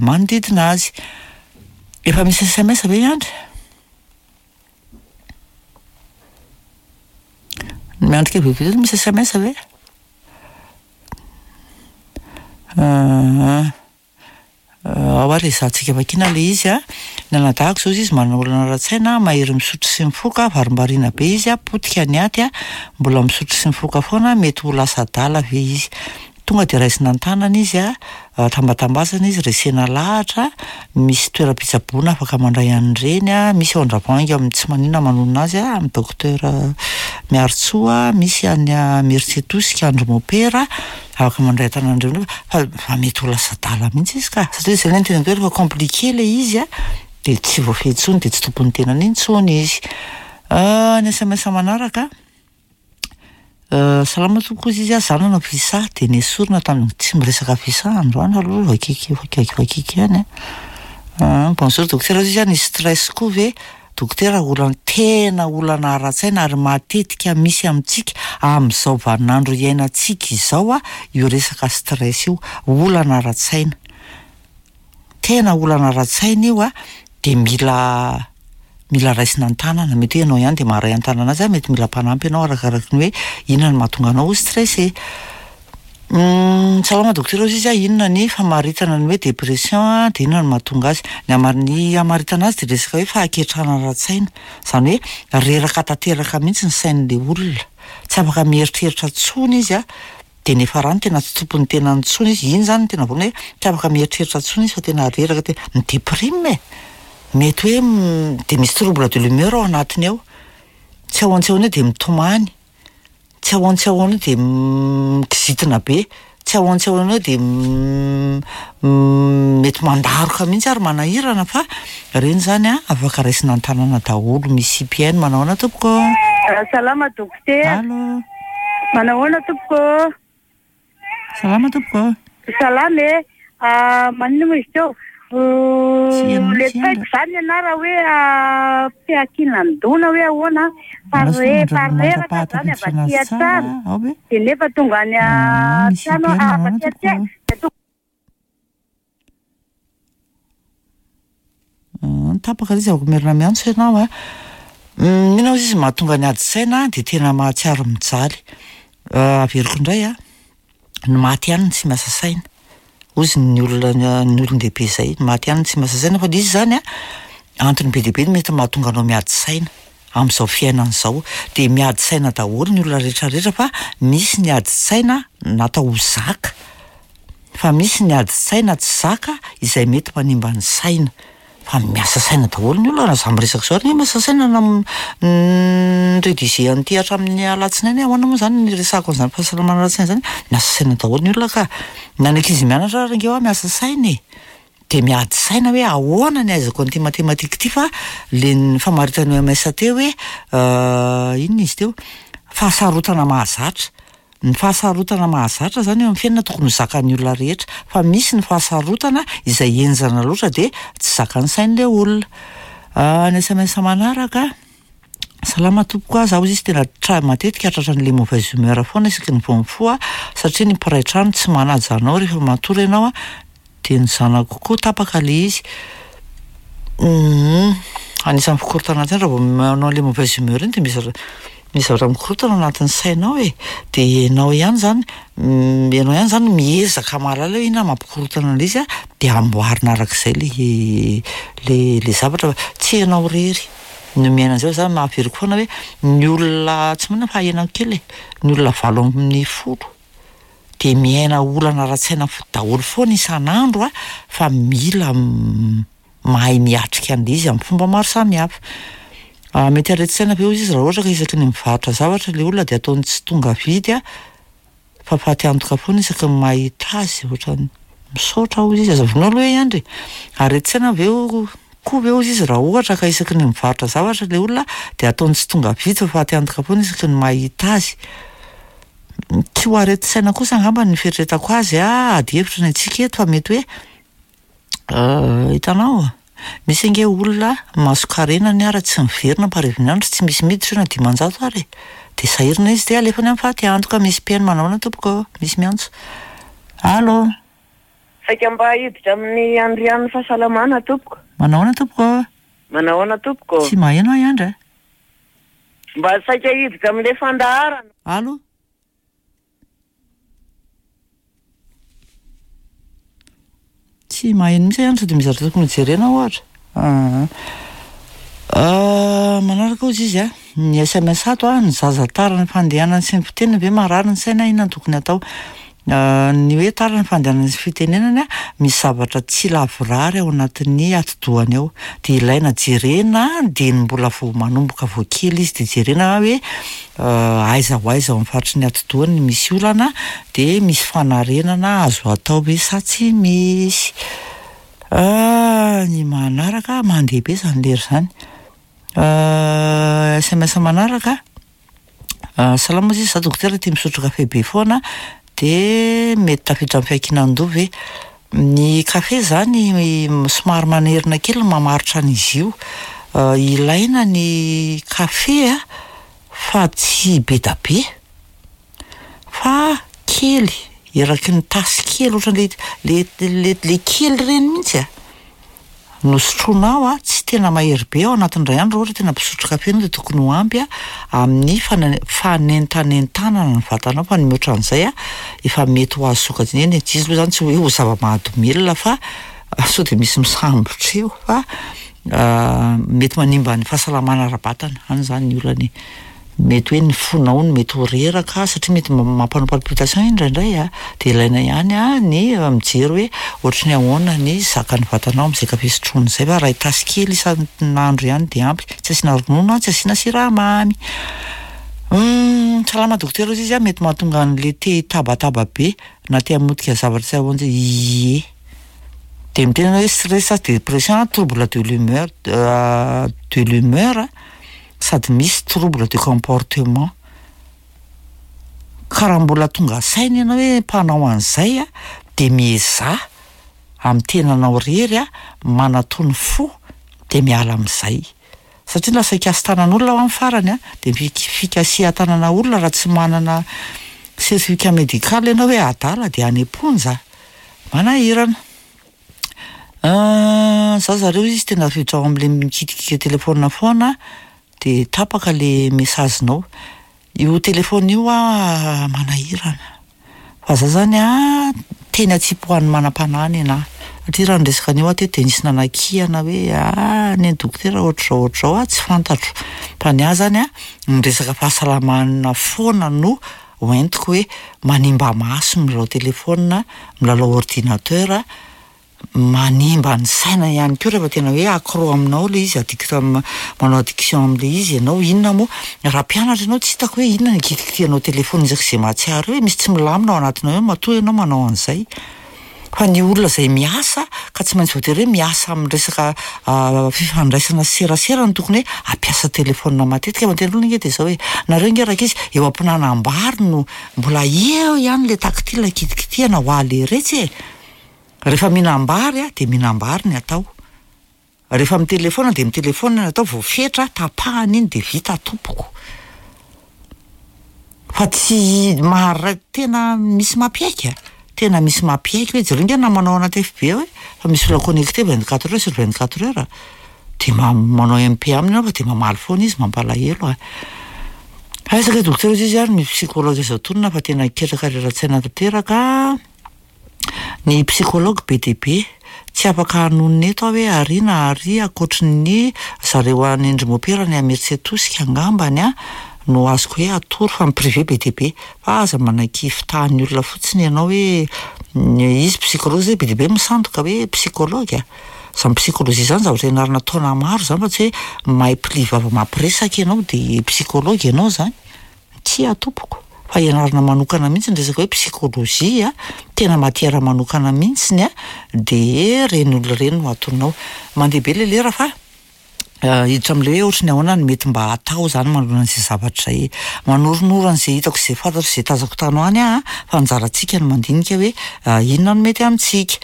manodidina azy. Efa misy sms ve i Andry? Miandry kely vetivety misy sms ve? Aa ao ary ezahantsika vakiana ilay izy a. Ny anadahako izao izy manana olana ara-tsaina, mahery misotro sy mifoka, varimbariana be izy a, potika ny aty a, mbola misotro sy mifoka foana, mety ho lasa adala ve izy? Tonga dia raisina an-tanana izy a, tambatambazana izy, resena lahatra, misy toeram-pitsaboana afaka mandray an'ireny a, misy ao Andravoahangy amin'ny tsy maninona manonona azy a, amin'ny docteur Miarintsoa, misy any Imerintsiatosika Andry Mopera, afaka mandray an-tanana an'ireny fa fa mety ho lasa adala mihitsy izy ka, satria izay ilay niteneniko hoe rehefa compliqué ilay izy a, dia tsy voafehy intsony dia tsy tompon'ny tenany intsony izy. Ny sms manaraka. Salama tompoko hozy izy a, za nanao visa de nesorina tamin'ny, tsy miresaka visa androany aloha vakiky vakiky ihany a, bonjour dokotera hozy izy a, ny stress koa ve dokotera olana tena olana ara-tsaina ary matetika misy amintsika amin'izao vaninandro iainantsika izao a io resaka stress io, olana ara-tsaina. Tena olana ara-tsaina io a, dia mila mila raisina an-tanana, mety hoe ianao ihany dia maharay an-tanana azy a, mety mila mpanampy ianao arakaraky ny hoe inona no mahatonga anao ho stressé. Salama dokotera hozy izy a, inona ny famaritana ny hoe dépression a, dia inona no mahatonga azy? Ny hamar- ny hamaritana azy dia resaka hoe fahaketrahana ara-tsaina, izany hoe reraka tanteraka mihitsy ny sain'ilay olona, tsy afaka mieritreritra intsony izy a, Dia niafarany tena tsy tompon'ny tenany intsony izy, iny izany no tena voalohany hoe tsy afaka mieritreritra intsony izy fa tena reraka tena, mi-deprime e! Mety hoe dia misy trouble de l'humeur ao anatiny ao, tsy ahoana tsy ahoana eo dia mitomany, tsy ahoana tsy ahoana eo dia mikizitina be, tsy ahoana tsy ahoana eo dia mety mandaroka mihitsy ary manahirana fa ireny izany an afaka raisina an-tanana daholo, misy mpihaino, manao ahoana tompoko? Salama dokotera. Allo. Manao ahoana tompoko ô? Salama tompoko ô. Salama e. Maninona moa izy teo? Tsy heno Le mihitsy tsy haiko andra. izany ny anah raha hoe fiankinan-doha na hoe ahoana fa Andraso re fa mandra- reraka izany avy mandra-pahatafiditra aty anazy tsara an-trano ao ve? dia nefa tonga any Ah, misy an-trano mpihaino avy manao aty ahoana an-trano tompoko ô? dia tonga Tapaka ilay izy afaka merina miantso ianao a. Inona hozy izy mahatonga ny ady saina dia tena mahatsiaro mijaly. Averiko indray a, ny maty ihany no tsy miasa saina, hozy ny olona ny olon-dehibe izay, ny maty ihany no tsy miasa saina fa ilay izy izany a, antony be dia be no mety mahatonga anao miady saina amin'izao fiainana izao. Dia miady saina daholo ny olona rehetra rehetra fa misy ny ady saina natao ho zaka. Fa misy ny ady saina tsy zaka izay mety manimba ny saina. Fa miasa saina daholo ny olona raha za miresaka izao ary miasa saina na mi-rediger an'ity hatramin'ny alatsinainy aho, ahoana moa izany ny hiresahako an'izany fahasalamana ara-tsaina izany, miasa saina daholo ny olona ka. Na ny ankizy mianatra ary ange hoa miasa saina e. Dia miady saina hoe ahoana ny ahaizako an'ity matematika ity fa le ny famaritan'ny OMS teo hoe inona izy teo, fahasarotana mahazatra. Ny fahasarotana mahazatra izany eo amin'ny fiainana tokony ho zakan'ny olona rehetra, fa misy ny fahasarotana izay henjana loatra dia tsy zakan'ny sain'ilay olona. Ny sms manaraka, salama tompoko a, za hozy izy tena tra- matetika tratran'ilay mauvaise humeur foana isaky ny vao mifoha satria ny mpiray trano tsy manaja anao rehefa matory ianao a, Dia ny zanako koa tapaka le izy. Humm anisan'ny fikorontanan-tsaina raha vao manao an'ilay mauvaise humeur iny dia misy zavatra misy zavatra mikorontana anatin'ny sainao e. Dia ianao ihany izany ianao ihany izany miezaka mahalala hoe inona mampikorontana an'ilay izy an, dia amboarina arak'izay ilay ilay ilay zavatra fa tsy ianao irery no miaina an'izay fa za averiko foana hoe ny olona tsy maninona fa ahenako kely e, ny olona 18. dia miaina olana ara-tsaina daholo foana isan'andro a, fa mila mahay miatrika an'ilay izy amin'ny fomba maro samihafa. Mety aretin-tsaina ve hozy izy raha ohatra ka isaky ny mivarotra zavatra ilay olona dia ataony tsy tonga vidy a, fa faty antoka foana isaky ny mahita azy, ohatran'ny misaotra hozy izy, aza vonoina aloha i Andry e! Aretin-tsaina ve koa ve hozy izy raha ohatra ka isaky ny mivarotra zavatra ilay olona dia ataony tsy tonga vidy fa faty antoka foana isaky ny mahita azy. Tsy ho aretin-tsaina kosa angamba ny fieritreretako azy a, ady hevitra ny antsika eto fa mety hoe hitanao, misy ange olona mason-karenany ara tsy miverina am-parivin'ny andro, tsy misy miditra io na 500 ara e, dia sahirana izy dia alefany amin'ny faty antoka, misy mpihaino manahoana tompoko ô, misy miantso. Allo. Saika mba hiditra amin'ny andrian'ny fahasalamana tompoko. Manahoana tompoko ô. Manahoana tompoko ô. Tsy maheno ahy Andry a. Mba saika hiditra amin'ilay fandaharana. Allo? Tsy maheno mihitsy aho sao dia misy zavatra tokony hojerena ohatra. Aa. Manaraka hozy izy a, ny sms ato a, ny zaza tara ny fandehanany sy ny fiteniny ve marary ny saina inona no tokony atao? Ny hoe tara ny fandehanan'ny fitenenany an, misy zavatra tsy lavorary ao anatin'ny atidohany ao, de ilaina jerena dieny mbola vao manomboka vao kely izy de jerena hoe aiza ho aiza ao amin'ny faritry ny atidohany no misy olana de misy fanarenana azo atao ve sa tsy misy. Ny manaraka, mandeha be zany lera zany. SMS manaraka, salama ozy izy za dokotera tia misotro kafe be foana de mety tafiditra amin'ny fiankinan-doha ve? Ny kafe zany somary manerina kely ny mamaritra an'izy io, ilaina ny kafe a fa tsy be da be fa kely, eraky ny tasy kely ohatran'le le le le kely reny mihitsy a, no sotroinao a, tsy tena mahery be ao anatin'ny iray andro raha ohatra tena mpisotro kafe ianao de tokony ho ampy a amin'ny fana- fanentanentanana ny vatanao fa ny mihoatra an'izay a efa mety ho azo sokajina, eny e, tsy izy aloha zany tsy hoe ho zava-mahadomelina fa sao de misy misambotra eo fa mety manimba ny fahasalamana ara-batana, any zany ny olana e. Mety hoe ny fonao no mety ho reraka satria mety mampanao palpitation iny indraindray a, de ilaina ihany a ny mijery hoe ohatry ny ahoana ny zakan'ny vatanao amin'izay kafe sotroina izay fa iray tasy kely isan'andro ihany de ampy, tsy asiana ronono a, tsy asiana siramamy. Salama dokotera hozy izy a, mety mahatonga an'le te hitabataba be na te hamotika zavatra tsy ahoan-, ie, de miteny ianao hoe stress, dépression, trouble de l'humeur de l'humeur sady misy trouble de comportement, ka raha mbola tonga saina ianao hoe mpanao an'izay a, de miezaha amin'ny tenanao rery a, manatony fo de miala amin'izay, satria lasa hikasi-tanan'olona ao amin'ny farany a, de ny fik- fikasihan-tanana olona raha tsy manana certificat médical ianao hoe adala de any am-ponja, manahirana. Za zareo izy tena tafiditra ao am'le mikitikita telefaonina foana de tapaka le message-nao. Io telefaonina io a manahirana, fa za zany a teny atsipy ho an'ny manam-panahy nenaha, satria raha niresaka an'io aho teto de nisy nanakihana hoe ah neny dokotera ohatr'izao ohatr'izao ah, tsy fantatro, fa ny ahy zany a ny resaka fahasalamana foana no hoentiko hoe manimba maso milalao telefaonina, milalao ordinateur, manimba ny saina ihany koa rehefa tena hoe accro aminao le izy, addict am- manao addiction am'le izy ianao, inona moa, raha mpianatra ianao tsy hitako hoe inona ny ikitikitihanao telefaonina isak'izay mahatsiaro eo e, misy tsy milamina ao anatinao ao matoa ianao manao an'izay. Fa ny olona izay miasa ka tsy maintsy voatery hoe miasa amin'ny resaka fifandraisana sy serasera no tokony hoe hampiasa telefaonina matetika, fa ny tena olana ange de zao e, nareo ange rankizy eo am-pihinanam-bary no mbola eo ihany le tactile kitikitihana ho aleretsy e, rehefa mihinam-bary a de mihinam-bary ny atao, rehefa mitelefaona de mitelefaona ny atao, voafetra tapahana iny de vita tompoko, fa tsy mahara- tena misy mampiaiky a, tena misy mampiaiky hoe jereo nge namanao anaty FB ao e, fa misy olona connecté vingt quatre heures sur vingt quatre heures, de ma- manao MP aminy ianao fa de mamaly foana izy, mampalahelo a. Aiza kay dokotera hozy izy ary misy psychologue azo atonina fa tena ketraka rera-tsaina tanteraka. Ny psychologue be dia be, tsy afaka hanonona eto aho hoe ary na ary ankoatry ny zareo any ndry mopera any Imerintsiatosika angambany a no azoko hoe atoro fa ny privé be dia be, fa aza manaiky fitahan'ny olona fotsiny ianao hoe izy psychologue zay be dia be misandoka hoe psychologue a, zany psychologie zany zavatra ianarana taona maro zany fa tsy hoe mahay pli vava mampiresaka ianao de psychologue ianao zany. Tsia tompoko, fa ianarana manokana mihitsy ny resaka hoe psychologie a, tena matière manokana mihitsiny a, de reny olona reny no atonao. Mandeha be le lera fa hiditra am'le hoe ohatry ny ahoana no mety mba atao zany manoloana an'izay zavatra izay. Manoronoro an'izay hitako sy izay fantatro sy izay tazako tany ho any aho a, fa anjarantsika no mandinika hoe inona no mety amintsika.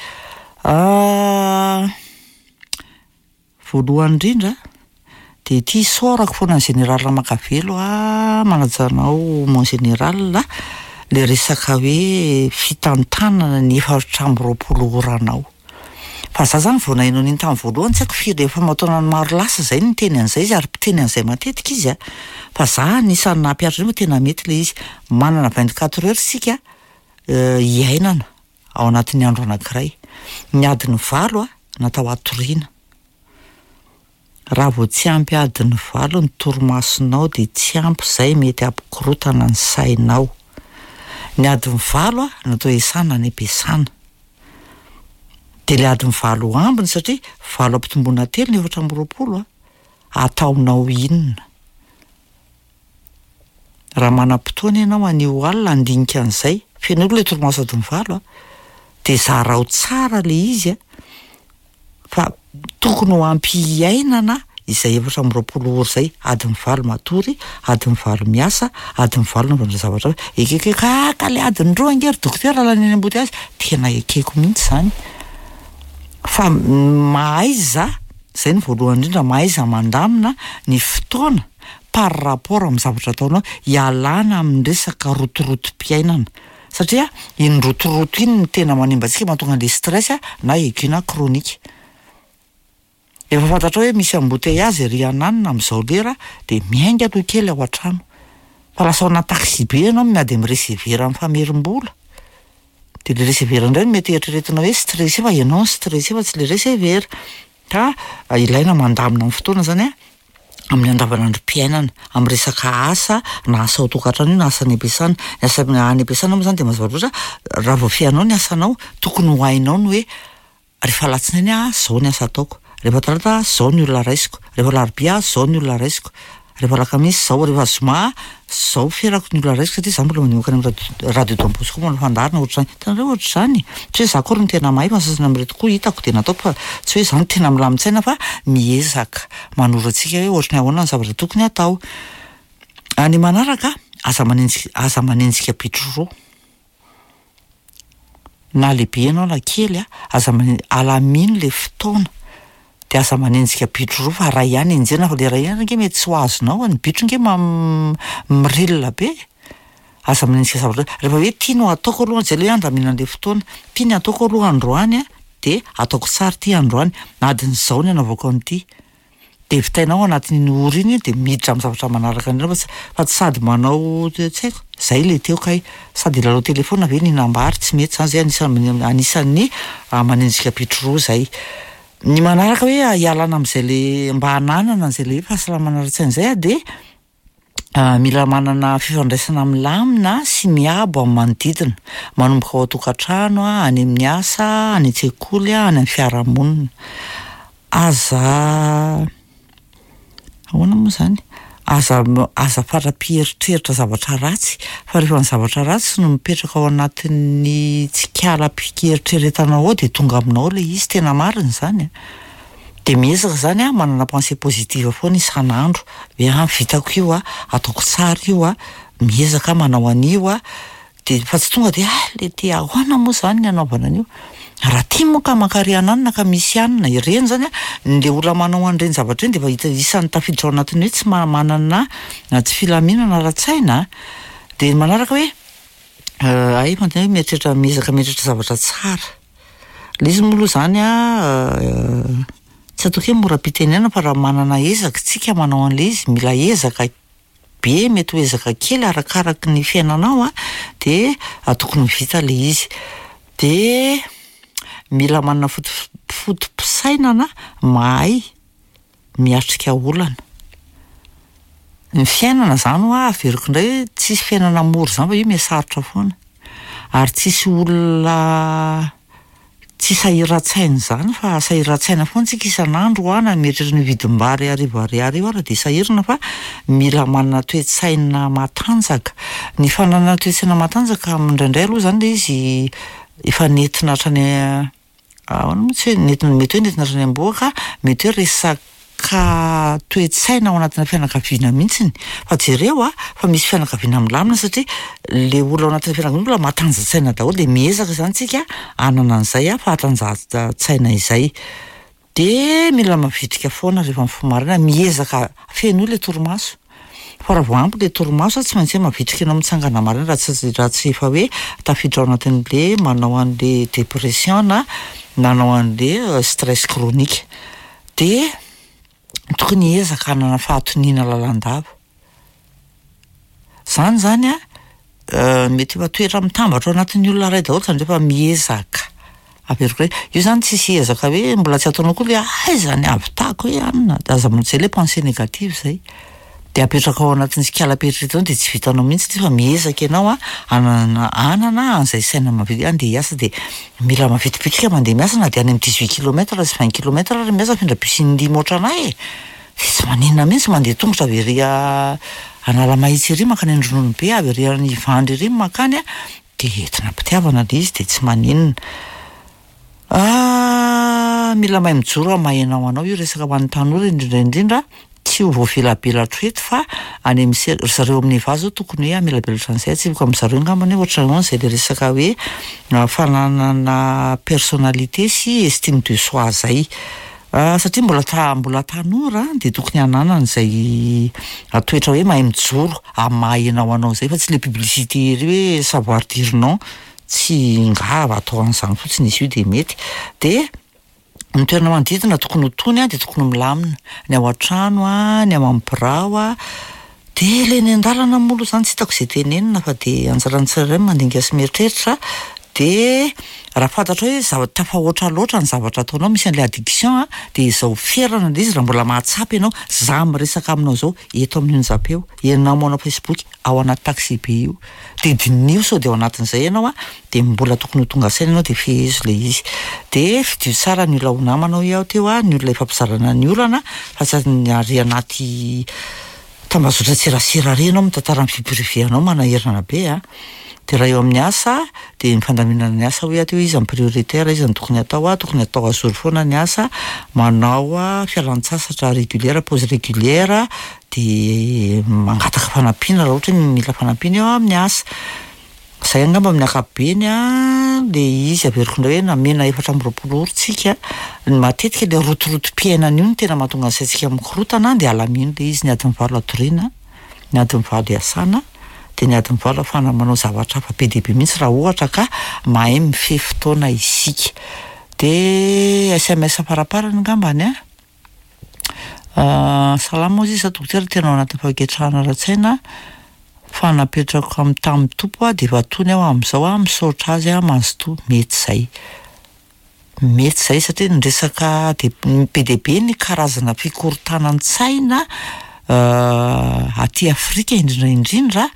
Voalohany indrindra de ity isaorako foana ny général Ramakavelo a, manaja anao mon général a, le resaka hoe fitantanana ny 24 oranao. Fa za zany vao naheno an'iny tamin'ny voalohany tsy haiko firy efa aman-taonany maro lasa zay no niteny an'izay izy ary mpiteny an'izay matetika izy a, fa za anisan'ny nampihatra an'io fa tena mety le izy. Manana vingt quatre heures isika iainana ao anatin'ny andro anankiray. Ny adiny 8 a natao hatoriana. Raha vao tsy ampy adiny 8 ny torimasonao de tsy ampy zay mety hampikorotana ny sainao. Ny adiny 8 natao hiasana any am-piasana. Dia ilay adiny 8 ambiny satria 8 ampitomboina 3 ny 24 ataonao inona? Raha manam-potoana ianao anio alina handinika an'izay, fenoy aloha ilay torimaso adiny 8 dia zarao tsara ilay izy a, fa tokony ho ampy hiainana izay 24 ora izay, adiny 8 matory, adiny 8 miasa, adiny 8 anaovana zavatra hafa. Ekeko hoe ka ka ilay adiny 2 ange ry dokotera lany any am-boteazy, tena ekeko mihitsy izany. Fa mahaiza, izay no voalohany indrindra, mahaiza mandamina ny fotoana par rapport amin'ny zavatra ataonao, hialana amin'ny resaka rotorotom-piainana. Satria iny rotoroto iny no tena manimba antsika, mahatonga an'ilay stress na aigu na chronique. Efa fantatrao hoe misy embouteillage ery ananona amin'izao lera dia miainga aloha kely ao an-trano. Fa lasa ao anaty taxi-be ianao miady amin'ny receveur mifamerim-bola. Dia ilay receveur indray no mety eritreretina hoe stressé fa ianao no stressé fa tsy ilay receveur. Ka ilaina mandamina ny fotoana izany an, amin'ny andavanandrom-piainana, amin'ny resaka asa, na asa ao an-tokantrano io na asa any am-piasana. Ny asa any am-piasana moa izany dia mazava loatra, raha vao feanao ny asanao, tokony ho hainao ny hoe rehefa alatsinainy aho, izao ny asa ataoko, rehefa talata aho, izao ny olona raisiko, rehefa alarobia aho, izao ny olona raisiko, rehefa alakamisy izao, rehefa zoma aho, izao ferako ny olona raisiko satria izaho mbola mandeha mankany amin'ny radio Don Bosco manao fandaharana ohatr'izany. Hitanareo ohatr'izany? Tsy hoe izaho akory no tena mahay fa ny sasany amin'ireto koa hitako dia nataoko fa tsy hoe izaho no tena milamin-tsaina fa miezaka manoro antsika hoe ohatry ny ahoana ny zavatra tokony hatao. Ny manaraka, aza manenjika aza manenjika bitro roa. Na lehibe ianao na kely a, aza mane- alamino le fotoana de aza manenjika bitro roa fa ray ihany enjehina fa le ray ihany ange mety tsy ho azonao e, ny bitro ange mirila be e, aza manenjika zavatra rehefa hoe ty no ataoko aloha zay le hoe andaminana le fotoana, ty ny ataoko aloha androany a de ataoko tsara ty androany, adin'izao ny anaovako an'ity. Dia vitainao ao anatin'iny ora iny dia miditra amin'ny zavatra manaraka indray fa tsy fa tsy sady manao tsy haiko, zay le teo kay, sady hilalao telefaonina ve nihinam-bary, tsy mety zany, zay anisan'ny anisan'ny manenjika bitro roa zay. Ny manaraka hoe hialana amin'izay le mba hananana an'izay le hoe fahasalamana ara-tsaina izay dia Mila manana fifandraisana milamina sy miabo amin'ny manodidina, manomboka ao an-tokantrano, any amin'ny asa, any an-tsekoly, any amin'ny fiarahamonina. Aza ahoana moa izany? Aza aza fara-pieritreritra zavatra ratsy fa rehefa ny zavatra ratsy no mipetraka ao anatin'ny tsikalam-pieritreretanao ao dia tonga aminao ilay izy, tena marina izany an! Dia miezaka izany aho manana pensée positive foana isan'andro, hoe ah vitako io ah, ataoko tsara io ah, miezaka aho manao an'io ah, dia fa tsy tonga dia ah le ty ahoana moa izany ny anaovana an'io, raha ty moa ka mankary ananona ka misy anona, ireny izany ah, le olona manao an'ireny zavatra ireny dia efa hita isan'ny tafiditra ao anatin'ny hoe tsy manana tsy filaminana ara-tsaina ah, dia ny manaraka hoe hay fantany hoe mieritreritra miezaka mieritreritra zavatra tsara. Ilay izy moa aloha izany an, tsy ataoko hoe mora am-pitenenana fa raha manana ezaka isika manao an'ilay izy, mila ezaka be, mety ho ezaka kely arakaraky ny fiainanao an, dia tokony ho vita ilay izy. Dia mila manana foto- foto-pisainana mahay miatrika olana. Ny fiainana izany hoa averiko indray hoe tsisy fiainana mora izany fa io miha-sarotra foana. Ary tsisy olona tsy sahiran-tsaina izany fa sahiran-tsaina foana tsika isan'andro hoa na mieritreritra ny vidim-bary 1000 ariary io ara dia sahirana fa mila manana toe-tsaina matanjaka. Ny fananana toe-tsaina matanjaka indraindray aloha izany ilay izy efa nentina hatrany Ahoana moa tsy hoe nentina, mety hoe nentina hatrany am-bohoka, mety hoe resaka toe-tsaina ao anatina fianakaviana mihitsiny, fa jereo a, fa misy fianakaviana milamina satria le olona ao anatin'ny fianakaviana mbola matanjan-tsaina daholo de miezaka izany tsika hanana an'izay fahatanjahan-tsaina izay. De mila mavitrika foana rehefa mifoha maraina, miezaka fenoy le torimaso. Fa raha vao ampy le torimaso tsy maintsy hoe mavitrika ianao mitsangana maraina raha tsy raha tsy efa hoe tafiditra ao anatin'le manao an'le dépression na manao an'le stress chronique. De tokony hiezaka hanana fahatoniana lalandava. Zany zany an, mety efa toetra mitambatra ao anatin'ny olona iray daholo zany rehefa miezaka. Averiko hoe, io zany tsisy ezaka hoe mbola tsy ataonao koa le aiza ny hahavitako hoe anona, de aza mijery le pensée négative zay. Dia apetraka ao anatin'ny sikalam-pieritreretanao dia tsy vitanao mihitsy ity fa miezaka ianao a hanana hanana an'izay saina mavitrika andeha hiasa dia mila mavitribitrika mandeha miasa na dia any amin'ny 18 kilomètre sy 20 kilomètre ary miasa mifindra bus in-dimy ohatran'ahy e! Dia tsy maninona mihitsy mandeha tongotra avy ery Analamahitsy ery mankany Andrononobe avy ery Ivandry ery mankany a dia entina am-pitiavana ilay izy dia tsy maninona. Ah, mila mahay mijoro amin'ny maha ianao anao io resaka ho an'ny tanora indrindra indrindra, tsy ho voavelabelatro eto fa any amin'ny se- ry zareo amin'ny Eva zao tokony hoe hamelabelatra an'izay, atsipiko amin-dry zareo angambany hoe ohatran'ny ahoana izay le resaka hoe fananana personnalité sy estime de soi zay. Satria mbola ta- mbola tanora dia tokony hananana izay toetra hoe mahay mijoro amin'ny maha ianao anao izay fa tsy le publicité ery hoe savoir dire non. Tsy nga atao an'izany fotsiny izy io dia mety. Dia ny toerana manodidina tokony ho tony an, dia tokony ho milamina. Ny ao an-trano an, ny ao amin'ny birao an, dia ilay eny an-dalana moa aloha izany tsy hitako izay tenenina fa dia anjaran'ny tsirairay ny mandinika sy mieritreritra. Dia raha fantatrao hoe zava- tafahoatra loatra ny zavatra ataonao, misy an'ilay addiction an, dia izao ferana ilay izy raha mbola mahatsapa ianao, za miresaka aminao izao eto amin'ny onjam-peo, ianao manao facebook ao anaty taxi-be io. Dia diniho sao dia ao anatin'izay ianao an, dia mbola tokony ho tonga saina ianao dia fehezo ilay izy. Dia fidio tsara ny olona ho namana hoy aho teo an, ny olona ifampizarana ny olana fa tsy ny ary anaty tambazotran-tserasera ary ianao mitantara ny vie privée anao manahirana be an. Dia raha eo amin'ny asa dia ny fandaminana ny asa hoy aho teo iza ny prioritaire, iza no tokony atao an, tokony atao à jour foana ny asa, manao fialan-tsasatra régulière, pause régulière, dia mangataka fanampiana raha ohatra hoe mila fanampiana eo amin'ny asa. Izay angamba amin'ny ankapobeny an, ilay izy averiko indray hoe namena 24 ora tsika, ny matetika ilay rotorotom-piainana io no tena mahatonga ny saintsika mikorontana dia alamino ilay izy ny adiny valo hatoriana, ny adiny valo hiasana, dia ny adiny valo ahafahana manao zavatra hafa be dia be mihitsy raha ohatra ka mahay mifehy fotoana isika. Dia sms faraparany angambany an. Salama hozy izy za dokotera tena ao anatin'ny fahaketrahana ara-tsaina fa napetrako amin'ny tamin'ny Tompo aho dia efa tony aho amin'izao aho misaotra azy aho mazotoa mety izay mety izay satria ny resaka dia be dia be ny karazana fikorontanan-tsaina aty Afrika indrindra indrindra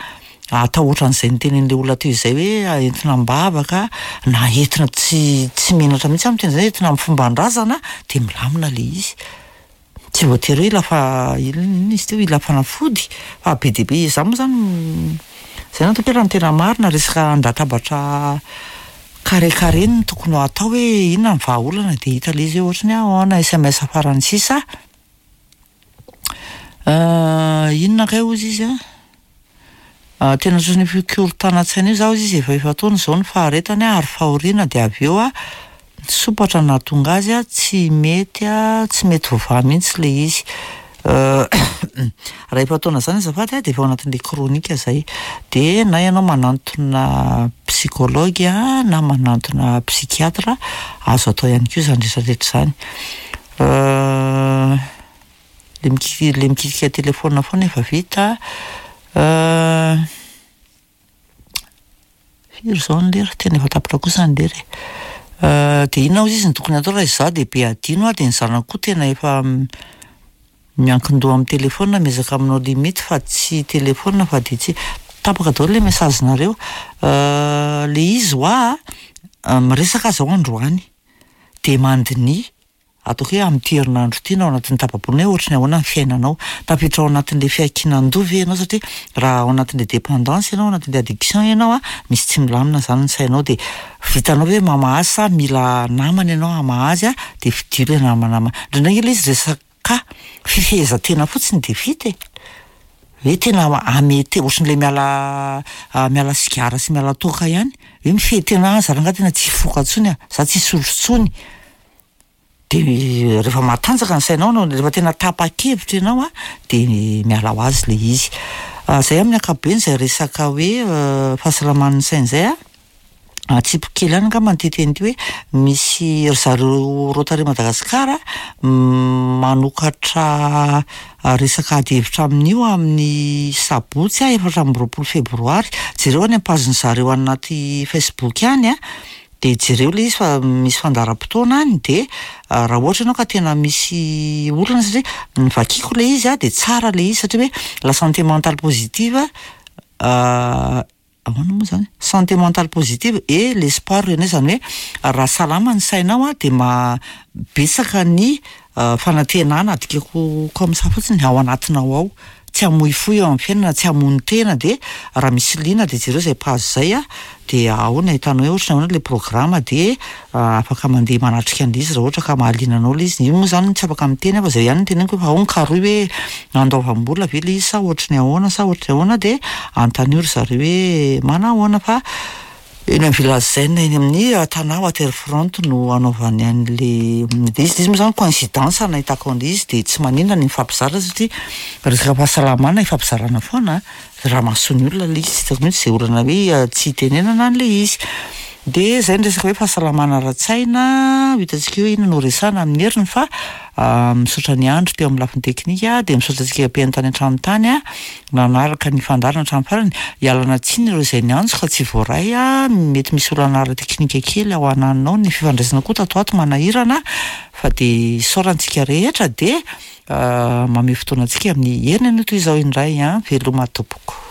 atao ohatran'izay notenenin'ilay olona teo izay hoe entina am-bavaka na entina tsy tsy menatra mihitsy aho miteny izay entina amin'ny fomban-drazana dia milamina ilay izy. Tsy voatery hoe hila fa inona izy teo hila fanafody fa be dia be izaho moa izany izay no ataoko hoe raha ny tena marina resaka an-databatra carré carré no tokony ho atao hoe inona ny vahaolana dia hita ilay izy hoe ohatry ny ahoana, sms farany sisa. Inona kay hozy izy an? Tena ohatran'ny fikorontanan-tsaina io za hozy izy efa efa-taona izao ny faharetany ary fahoriana dia avy eo an, sompatra no nahatonga azy an, tsy mety an, tsy mety voavaha mihitsy ilay izy. Raha efa-taona izany azafady an, dia efa ao anatin'ilay chronique izay. Dia na ianao manantona psychologue na manantona psychiatre, azo atao ihany koa izany rehetra rehetra izany. Le miki- le mikitika telefaonina foana efa vita. Firy izao ny lera? Tena efa tapitra kosa ny lera e. Dia inona hozy izy no tokony hatao raha izaho dia be adino aho dia ny zanako koa tena efa miankin-doha amin'ny telefaonina, miezaka manao limite fa tsy telefaonina fa dia tsy, tapaka daholo ilay message-nareo. Le izy hoa miresaka aho izao androany dia mandiniha Ataoko hoe amin'ity herinandro ity na ao anatin'ny tapa-bolana hoe ohatry ny ahoana ny fiainanao. Tafiditra ao anatin'ilay fiankinan-doha ve ianao satria raha ao anatin'ilay dépendance ianao, ao anatin'ilay addiction ianao an, misy tsy milamina izany ny sainao dia vitanao ve mamaha azy sa mila namana ianao hamaha azy an, dia fidio ilay namana ma-. Indraindray ange ilay izy resaka fifehezan-tena fotsiny dia vita e. Hoe tena hamehy-tena, ohatran'ilay miala miala sigara sy miala toaka ihany, hoe mifehy tena, ah za rangahy tena tsy hifoka intsony ah, za tsy hisotro intsony. Dia rehefa matanjaka ny sainao anao, rehefa tena tapa-kevitra ianao an, dia miala ho azy ilay izy. Izay amin'ny ankapobeny izay resaka hoe fahasalaman'ny saina izay an, atsipiko kely ihany angamba ity teny ity hoe misy ry zareo Rotary Madagascar manokatra resaka adihevitra amin'io amin'ny sabotsy 24 febroary. Jereo any am-pazin'ny zareo any anaty Facebook any an. Dia jereo ilay izy fa misy fandaharam-potoana any dia raha ohatra ianao ka tena misy olana satria ny vakiako ilay izy dia tsara ilay izy satria hoe la santé mentale positive ahoana moa izany? Santé mentale positive et l'espoir renaît izany hoe raha salama ny sainao dia ma- betsaka ny fanantenana adikako comme ça fotsiny ao anatinao ao, tsy hamoifoy eo amin'ny fiainana, tsy hamono tena dia raha misy liana dia jereo izay page izay a, dia ao no ahitanao hoe ohatran'ny ahoana ilay programme dia afaka mandeha manatrika an'ilay izy raha ohatra ka mahaliana anao ilay izy, io moa izany tsy afaka miteny aho fa izay ihany no teneniko hoe fa ao ny karohy hoe andoavam-bola ve ilay izy sa ohatry ny ahoana sa ohatry ny ahoana dia anontanio ry zareo hoe manahoana fa eny amin'ny Village Zen eny amin'ny Tana Water Front no hanaovany an'ilay izy, ilay izy moa izany coïncidence nahitako an'ilay izy dia tsy maninona ny mifampizara satria resaka fahasalamana ifampizarana foana an, raha mahasoa ny olona ilay izy tsy hitako mihitsy izay olana hoe tsy hitenenana an'ilay izy. Dia izay ny resaka hoe fahasalamana ara-tsaina, ho hitantsika eo hoe inona no resahana amin'ny heriny fa misaotra an'i Andry teo amin'ny lafiny teknika dia misaotra antsika mpihaino tany an-trano tany an. Nanaraka ny fandaharana hatramin'ny farany. Ialana tsiny ireo izay niantso ka tsy voaray. Mety misy olana ara-teknika kely ao ananona ao. Ny fifandraisana koa tato ho ato manahirana fa dia isaorana antsika rehetra dia mamehy fotoana antsika amin'ny heriny anio toy izao indray. Veloma tompoko.